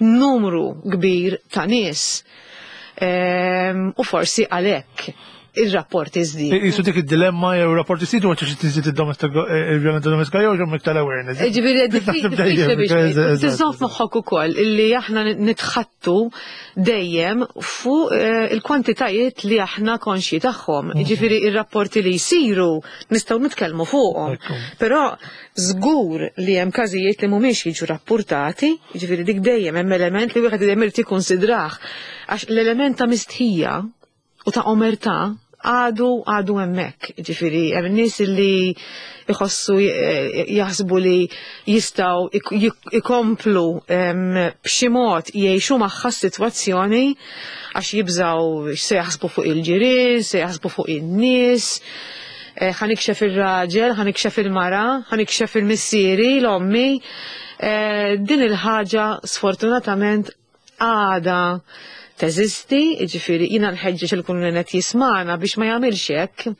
numru kbir ta' nies. U forsi għalhekk. Ir-rapporti żdiedu. Jisu dik id-dilemma jew rapporti żdiedu għax tiżdied il-vjolenza domestika jew ġew iktar awareness. Ġifieri diffiċli biex tiżomm f'moħħok ukoll illi aħna nitħattu dejjem fuq il-kwantitajiet li aħna konxji tagħhom. Ġifieri ir-rapporti li jsiru nistgħu nitkellmu fuqhom. Però żgur li hemm każijiet li mhumiex jiġu rappurtati, ġifieri dik dejjem hemm element li wieħed dejjem irid jikkunsidrah għax l-element ta' mistħija u ta' omertà għadu hemmhekk. Ġifieri hemm nies li jħossu jaħsbu li jistgħu ikomplu b'xi mod jgħixu magħha s-sitwazzjoni għax jibżgħu x'se jaħsbu fuq il-ġirien, se jaħsbu fuq in-nies. Ħa nikxef ir-raġel, ħa nikxef il-mara, ħa nikxef il-missieri, l-ommi. Din il-ħaġa sfortunatament għada teżisti, ġifieri jiena nħeġġeġ il kull min qed jismana biex ma jagħmilx hekk,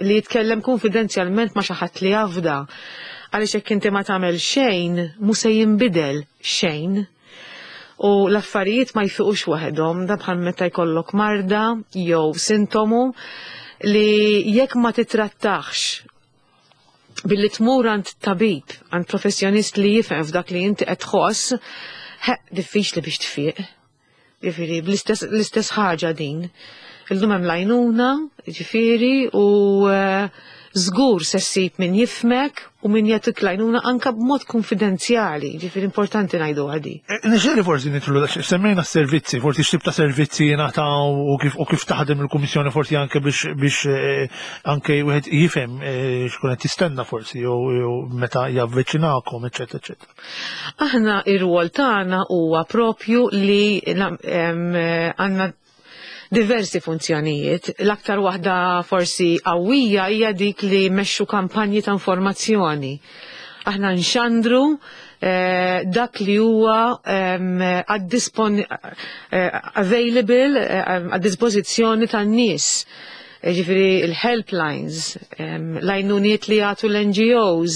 li jitkellem konfidenzjalment ma' xi ħadd li jafda. Għaliex jekk inti ma tagħmel xejn, mhu se jinbidel xejn. U l-affarijiet ma jfiqux waħedhom, da bħal meta jkollok marda jew sintomu li jekk ma titrattax billi tmur għand tabib, għand professjonist li jifhem f'dak li inti qed tħoss, diffiċli biex tfiq. Ġifieri, l-istess ħaġa din. Illum hemm l-għajnuna, ġifieri, u żgur se ssib min jifhmek u min jagħtik l-għajnuna anka b'mod konfidenzjali, ġifieri importanti ngħidu għadi. Nixtieq forsi nidħlu, semmejna s-servizzi, forsi x'tip ta' servizzi jingħataw u kif taħdem il-Kummissjoni forsi anke biex anke wieħed jifhem x'kun qed jistenna forsi jew meta javviċinakom, eċċetera, eċċetera. Aħna ir-rwol tagħna huwa propju li għandna diversi funzjonijiet. L-aktar waħda forsi qawwija hija dik li mmexxu kampanji ta' informazzjoni. Aħna nxandru dak li huwa available għad-dispożizzjoni tan-nies. Ġifieri il-helplines, l-għajnuniet li jagħtu l-NGOs,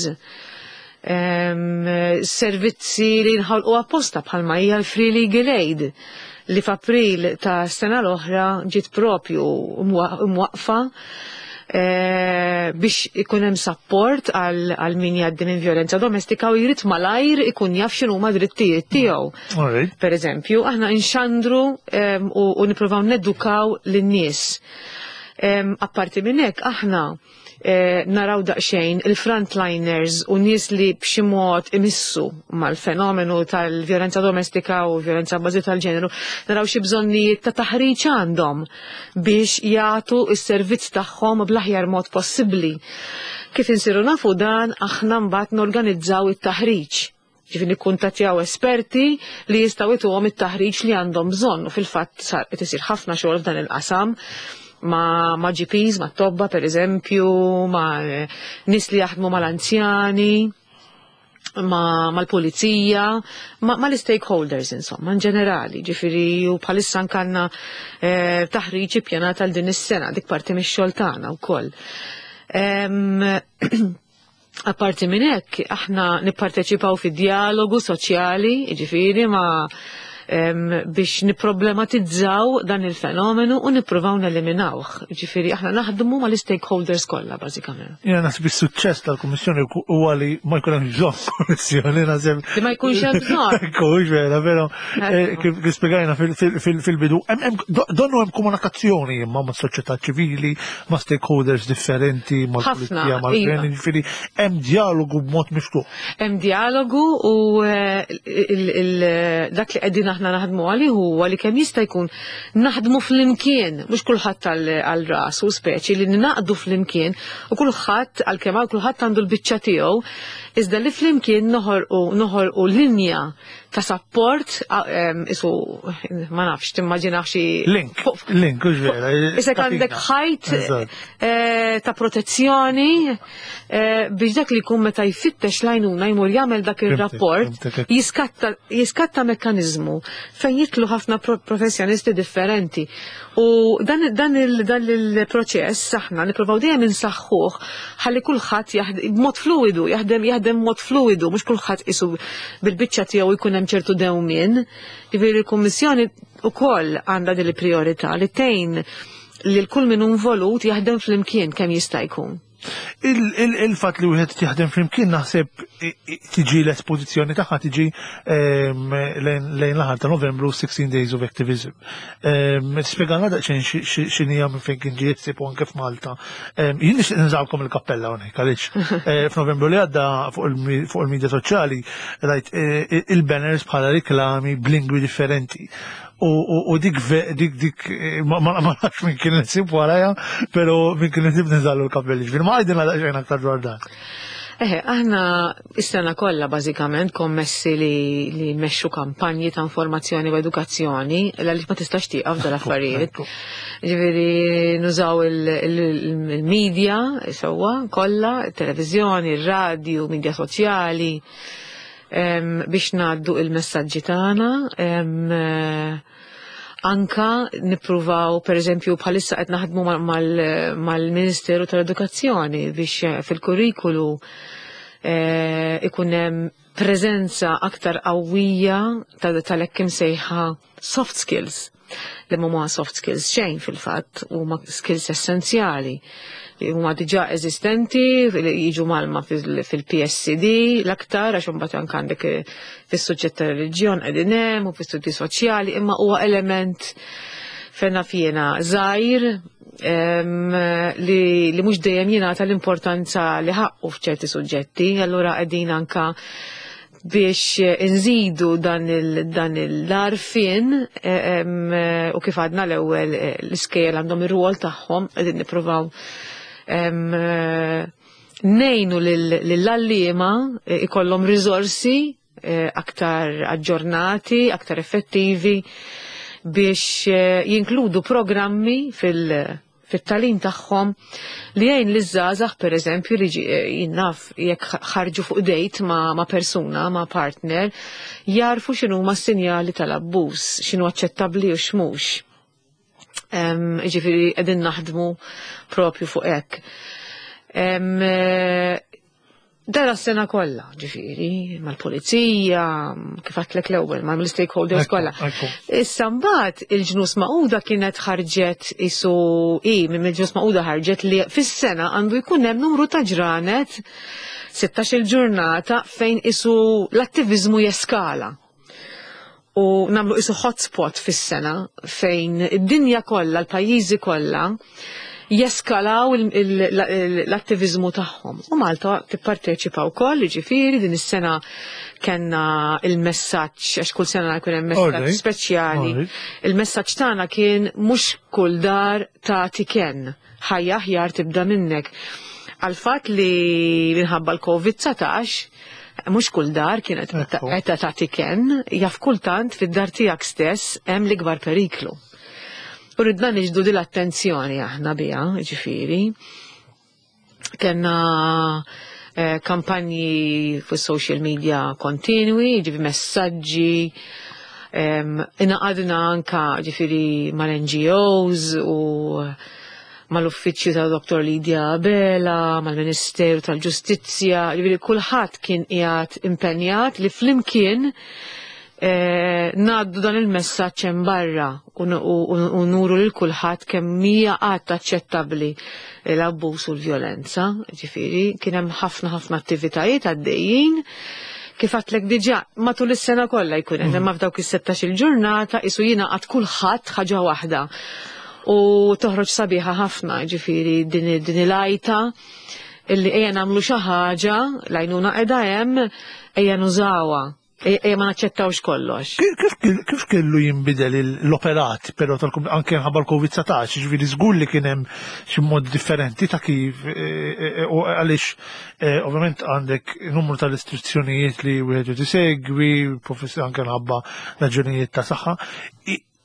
servizzi li nħolqu apposta bħalma hija l-Free Legal Aid li f'April ta' sena l-oħra ġiet propju mwaqfa biex ikun hemm support għal min jgħaddi minn violenza domestika u jrid malajr ikun jaf x'inhuma drittijiet tiegħu. Per eżempju, aħna nxandru u nippruvaw nedukaw lin-nies. Apparti minn hekk aħna naraw daqsxejn il-frontliners u nies li b'xi mod imissu mal-fenomenu tal-vjolenza domestika u vjolenza bażi tal-ġeneru, naraw xi bżonnijiet ta' taħriġ għandhom biex jagħtu s-servizz tagħhom bl-aħjar mod possibbli. Kif insiru nafu dan, aħna mbagħad norganizzaw it-taħriġ. Ġifieri nikkuntattjaw esperti li jistgħu jtuhom it-taħriġ li għandhom bżonn u fil-fatt qed isir ħafna xogħol f'dan il-qasam ma' GPs, ma' tobba per eżempju, ma' nies li jaħdmu mal-anzjani, mal-pulizija, mal-stakeholders insomma, in ġenerali, ġifieri u bħalissa nkanna taħriġ ippjanat għal din is-sena, dik parti mix-xogħol tagħna wkoll. Apparti minn hekk, aħna nipparteċipaw fi dialogu soċjali, ġifieri ma' biex niproblematizzaw dan il-fenomenu u nippruvaw neliminawh. Ġifieri aħna naħdmu mal-stakeholders kollha bażikament. Jiena naħseb is-suċċess tal-Kummissjoni huwa li ma jkun hemm bżonn kummissjoni, naħseb. Li ma jkunx hemm bżonn. Jkunx vera, però kif spjegajna fil-bidu, donnu hemm komunikazzjoni imma ma' soċjetà ċivili, ma' stakeholders differenti, mal-pulizija, mal-gvern, ġifieri hemm dialogu b'mod miftuħ. Hemm dialogu u dak li qegħdin aħna naħdmu għalih huwa li kemm jista' jkun naħdmu flimkien, mhux kulħadd għal rasu speċi li ninaqdu flimkien u kulħadd għalkemm hawn kulħadd għandu l-biċċa tiegħu, iżda li flimkien noħolqu linja ta' support, isu ma nafx timmaġinax xi Link, link, hux vera, Isek għandek ħajt ta' protezzjoni biex dak li jkun meta jfittex l-għajnuna jmur jagħmel dak ir-rapport, jiskatta mekkaniżmu fejn jitlu ħafna professjonisti differenti. U dan il-proċess aħna nippruvaw dejjem insaħħuh ħalli kulħadd b'mod fluidu, jaħdem mod fluidu, mhux kulħadd isu bil-biċċa tiegħu jkun hemm ċertu dewmien. Ġifieri l-Kummissjoni wkoll għandha din il-priorità li tgħin li l-kull min involut jaħdem flimkien kemm jista' jkun. Il-fat li wieħed jaħdem flimkien naħseb tiġi l-espożizzjoni tagħha tiġi lejn l-aħħar ta' Novembru 16 Days of Activism. Spjegana daqsxejn x'inhija minn fejn kien ġiet ssib anke f'Malta. Jien nixtieq ninżalkom il-kappella hawnhekk għaliex f'Novembru li għadda fuq il-medja soċjali rajt il-banners bħala riklami b'lingwi differenti. U dik dik dik ma nafx minn kien insib warajha, però minn kien insib ninżallu l-kappelli. Ġifieri ma għidilna daqsxejn aktar dwar dan. Eħe, aħna is-sena kollha bażikament kommessi li mmexxu kampanji ta' informazzjoni u edukazzjoni għaliex ma tistax tieqaf dal-affarijiet. Ġifieri nużaw il-medja sewwa kollha, it-televiżjoni, ir-radju, medja soċjali biex ngħaddu il-messaġġi tagħna. Anka nippruvaw, per eżempju, bħalissa qed naħdmu mal-Ministeru tal-Edukazzjoni biex fil-kurrikulu ikun hemm preżenza aktar qawwija tal-hekk imsejħa soft skills, li huma soft skills xejn fil-fatt, huma skills essenzjali li huma diġà eżistenti, li jiġu mgħallma fil-PSCD l-aktar, għax imbagħad anke għandek fis-suġġett ta' reliġjon qegħdin hemm u fis-studji soċjali, imma huwa element fejna fjena żgħir li mhux dejjem jingħata l-importanza li ħaqqu f'ċerti suġġetti, allura qegħdin anka biex inżidu dan l-għarfien u kif għadna l-ewwel l-iskejjel għandhom ir-rwol tagħhom, qegħdin nippruvaw ngħinu lill-għalliema ikollhom riżorsi aktar aġġornati, aktar effettivi biex jinkludu programmi fit-tagħlim tagħhom li jgħin li żgħażagħ, pereżempju, li jinnaf jekk ħarġu fuq date ma' persuna, ma' partner, jarfu x'inhu ma' sinjali tal-abbuż, x'inhu aċċettabbli u x'mhux. Ġifieri qegħdin naħdmu propju fuq hekk. Dara s-sena kollha, ġifieri, mal-pulizija, kif għedtlek l-ewwel, mal-stakeholders kollha. Issa mbagħad il-Ġnus Magħquda kienet ħarġet isu i minn il-Ġnus Magħquda ħarġet li fis-sena għandu jkun hemm numru ta' ġranet, 16 ġurnata fejn isu l-attiviżmu jeskala. U nagħmlu isu hotspot fis-sena fejn id-dinja kollha, l-pajjiżi kollha jeskalaw l-attivizmu tagħhom. U Malta tipparteċipa wkoll, jiġifieri din is-sena kellna il-messaġġ, għax kull sena jkun hemm messaġġ speċjali. Il-messaġġ tagħna kien mhux kull dar tagħti kenn, ħajja aħjar tibda minnek. Għal fatt li minħabba l-COVID-19 mhux kull dar kienet qed tagħti kenn, jaf kultant fid-dar tiegħek stess hemm l-ikbar periklu. U ridna niġbdu din l-attenzjoni aħna biha, ġifieri. Kenna kampanji fuq social media kontinwi, ġifieri messaġġi, ingħaqadna anka ġifieri mal-NGOs u mal-uffiċċju ta' Dr. Lydia Abela, mal-Ministeru tal-Ġustizzja, ġifieri kulħadd kien qiegħed impenjat li flimkien ngħaddu dan il-messaġġ hemm barra u nuru lil kulħadd kemm hija qatt aċċettabbli l-abbuż u l-vjolenza. Ġifieri kien hemm ħafna ħafna attivitajiet għaddejjin. Kif għedtlek diġà matul is-sena kollha jkun hemm, imma f'dawk is-16 il-ġurnata isu jingħaqad kulħadd ħaġa waħda. U toħroġ sabiħa ħafna, ġifieri din il-għajta illi ejja nagħmlu xi ħaġa, l-għajnuna qiegħda hemm, ejja nużawha. Ejja ma naċċettawx kollox. Kif kellu jinbidel l-operat, però anke ħabba l-COVID-19, ġifieri żgur li kien hemm xi mod differenti ta' kif, u għaliex ovvjament għandek numru ta' restrizzjonijiet li wieħed irid isegwi, anke ħabba raġunijiet ta' saħħa.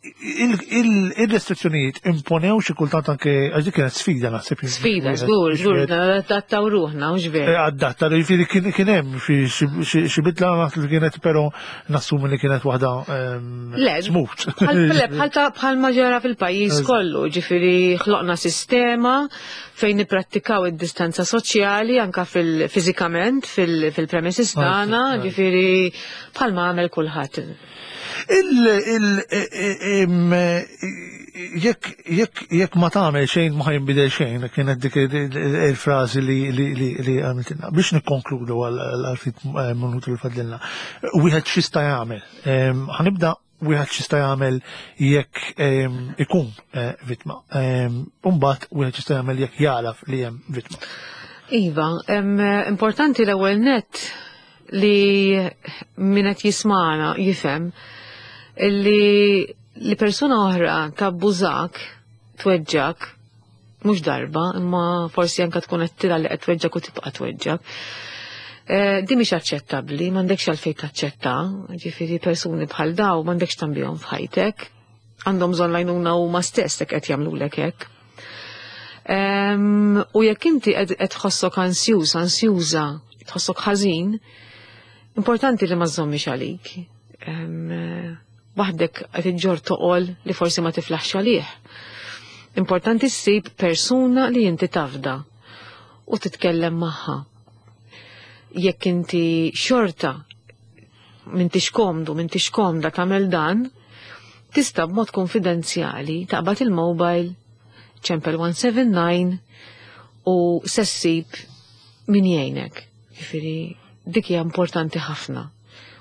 Il-restrizzjonijiet imponew xi kultant anke, għax dik kienet sfida naħseb. Sfida, żgur, żgur, adattaw ruħna, mhux veru. Adatta, jiġifieri kien hemm xi bidla naħseb li kienet, però nassumi li kienet waħda Le, smooth. Bħal ma ġara fil-pajjiż kollu, ġifieri ħloqna sistema fejn nipprattikaw id-distanza soċjali anka fil-fiżikament fil-premises tagħna, ġifieri bħal ma għamel kulħadd. Il jekk jekk jekk ma tagħmel xejn ma ħajnbidel xejn, kienet dik il-frażi li li li għamiltilna. Biex nikkonkludu għal ftit eh, minuti li fadlilna. Wieħed x'jista' jagħmel? Ħanibda wieħed x'jista' jagħmel jekk ikun eh, vittma. Imbagħad wieħed x'jista' jagħmel jekk jagħraf li hemm vittma. Iva, importanti l-ewwel nett li min qed jismana jifhem li li persuna oħra tabbużak, tweġġak, mhux darba, imma forsi anka tkun qed tilha li qed tweġġak u tibqa' tweġġak. Eh, di mhix aċċettabbli, m'għandekx għalfejn taċċetta, ġifieri persuni bħal daw m'għandekx tambihom f'ħajtek. Għandhom bżonn lajnuna huma stess jekk qed jagħmlulek hekk. U jekk inti qed tħossok ansjuż, ansjuża, tħossok ħażin, importanti li ma żommix għalik. Waħdek qed iġġor toqol li forsi ma tiflaħx għalih. Importanti ssib persuna li inti tafda u titkellem magħha. Jekk inti xorta m'intix komdu, m'intix komda tagħmel dan, tista' b'mod konfidenzjali taqbad il-mobile ċempel 179 u se ssib min jgħinek. Ġifieri dik hija importanti ħafna.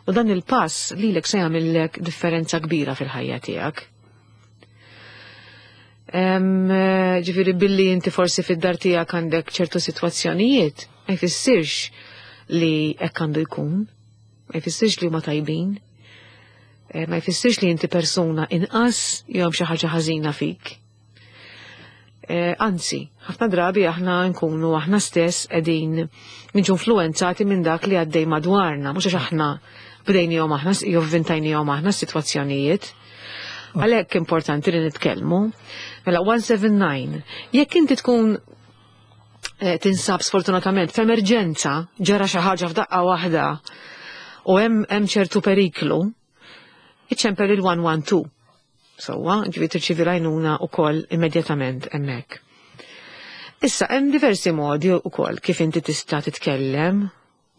U dan il-pass lilek se jagħmillek differenza kbira fil-ħajja tiegħek. Ġifieri billi inti forsi fid-dar tiegħek għandek ċertu sitwazzjonijiet, ma jfissirx li hekk għandu jkun, ma jfissirx li huma tajbin, eh, ma jfissirx li inti persuna inqas jew hemm xi ħaġa ħażina fik. Eh, anzi, ħafna drabi aħna nkunu aħna stess qegħdin niġu influenzati minn dak li għaddej madwarna, mhux għax aħna bdejnihom aħna jew vvintajnihom aħna s-sitwazzjonijiet. Għalhekk importanti li nitkellmu. Mela 179, jekk inti tkun eh, tinsab sfortunatament f'emerġenza, ġara xi ħaġa f'daqqa waħda u hemm hemm ċertu periklu, iċċempel il-112. Sewwa, ġifieri tirċievi l-għajnuna wkoll immedjatament hemmhekk. Issa hemm diversi modi wkoll kif inti tista' titkellem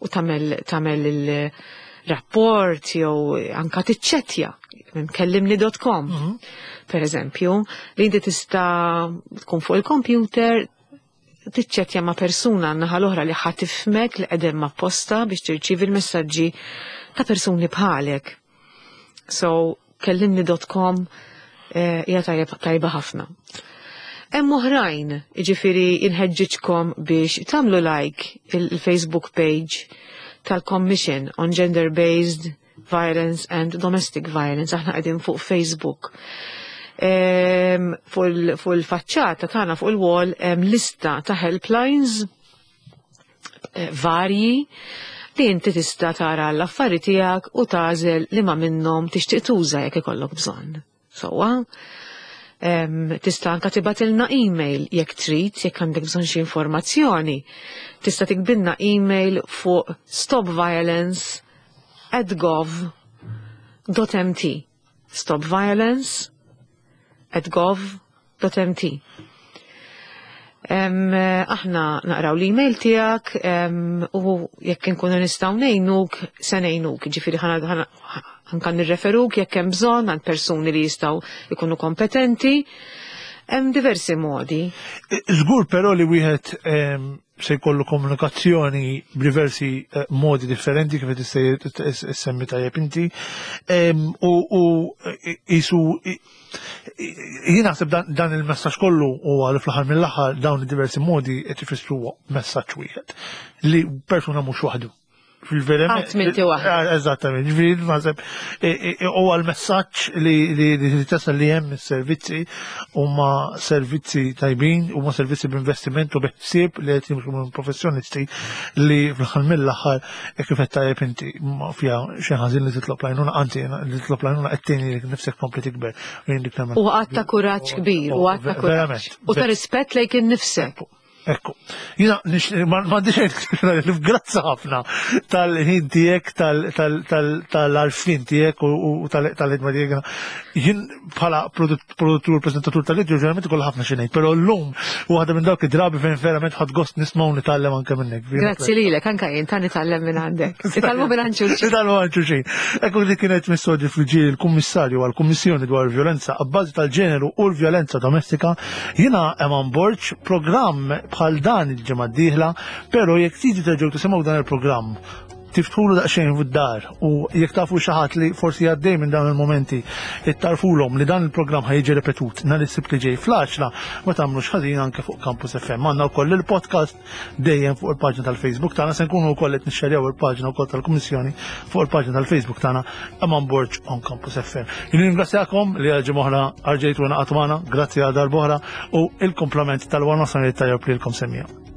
u tagħmel tagħmel il-rapport jew anka tiċċettja minn kellimni.com. Per eżempju, li inti tista' tkun fuq il-computer tiċċettja ma' persuna naħa l-oħra li ħa tifhmek li qegħdem apposta biex tirċievi l-messaġġi ta' persuni bħalek. So, kellimni.com eh, hija tajjeb tajba ħafna. Hemm oħrajn, jiġifieri inħeġġiġkom biex tagħmlu like il-Facebook page tal-Commission on Gender-Based Violence and Domestic Violence. Aħna qegħdin fuq Facebook. Fuq il-faċċata tagħna fuq il-wall hemm lista ta' helplines eh, varji li inti tista' tara l-affari tiegħek u tagħżel li ma minnhom tixtieq tuża jekk ikollok bżonn. Sewwa, tista' anka tibgħatilna email jekk trid, jekk għandek bżonn xi informazzjoni. Tista' tiktbilna email fuq stopviolence@gov.mt. stopviolence@gov.mt. Aħna naqraw l-email tiegħek u jekk inkunu nistgħu ngħinuk se ngħinuk, ġifieri anka nirreferuk jekk hemm bżonn għand persuni li jistgħu jkunu kompetenti. Hemm diversi modi. Żgur però li wieħed se jkollu komunikazzjoni b'diversi eh, modi differenti kif qed issemmi tajjeb inti. U jisu jien naħseb dan il-messaġġ kollu huwa li fl-aħħar mill-aħħar dawn id-diversi modi qed ifissru messaġġ wieħed li persuna mhux waħdu. Fil-verament. Qatt m'inti waħdek. Eh, eżattament, ġifieri naħseb eh, eh, huwa l-messaġġ li li tasal li hemm is-servizzi huma servizzi tajbin, huma servizzi b'investiment u biħsieb li qed jimxu minn professjonisti li fl-aħħar mill-aħħar kif qed tajjeb inti ma fiha xi ħażin li titlob lajnuna, anzi li titlob lajnuna qed tgħin lilek nifsek tkompli tikber. U għatta kuraġġ kbir, u għatta kuraġġ. U ta' rispett lejk innifsek. Ekku. Jina, m'għandix li grazzi ħafna tal-ħin tiegħek, tal-arfin tiegħek u tal-ħidma tiegħek. Jien bħala produttur, prezentatur tal-video ġeneralment ikoll ħafna xi ngħid, però llum waħda minn dawk id-drabi fejn verament ħadd gost nisma' u nitgħallem anke minnek. Grazzi lilek, anke jien ta' nitgħallem minn għandek. Nitgħallmu minn għand xulxin. Nitgħallmu għand xulxin. Ekku li kienet missoġi fil-ġiel il-Kummissarju għall-Kummissjoni dwar il-Vjolenza abbażi tal-ġeneru u l-vjolenza domestika. Jiena Eman Borg, programm bħal dan il-ġimgħa d-dieħla, però jekk tridu terġgħu tisimgħu dan il-programm tiftħulu daqsxejn fid-dar u jekk tafu xi ħadd li forsi għaddej minn dawn il-momenti ittarfulhom li dan il-programm ħajġi repetut nhar is-Sibt li ġej fl-10 ma tagħmlux ħażin anke fuq Campus FM. Għandna wkoll il-podcast dejjem fuq il-paġna tal-Facebook tagħna se nkunu wkoll qed nixxerjaw il-paġna wkoll tal-Kummissjoni fuq il-paġna tal-Facebook tagħna Eman Borg on Campus FM. Jien ringrazzjakom li għal ġimgħa arġejtu naqgħtu magħna, grazzi għal darb'oħra u il-komplement tal-wana tajjeb lilkom semmija.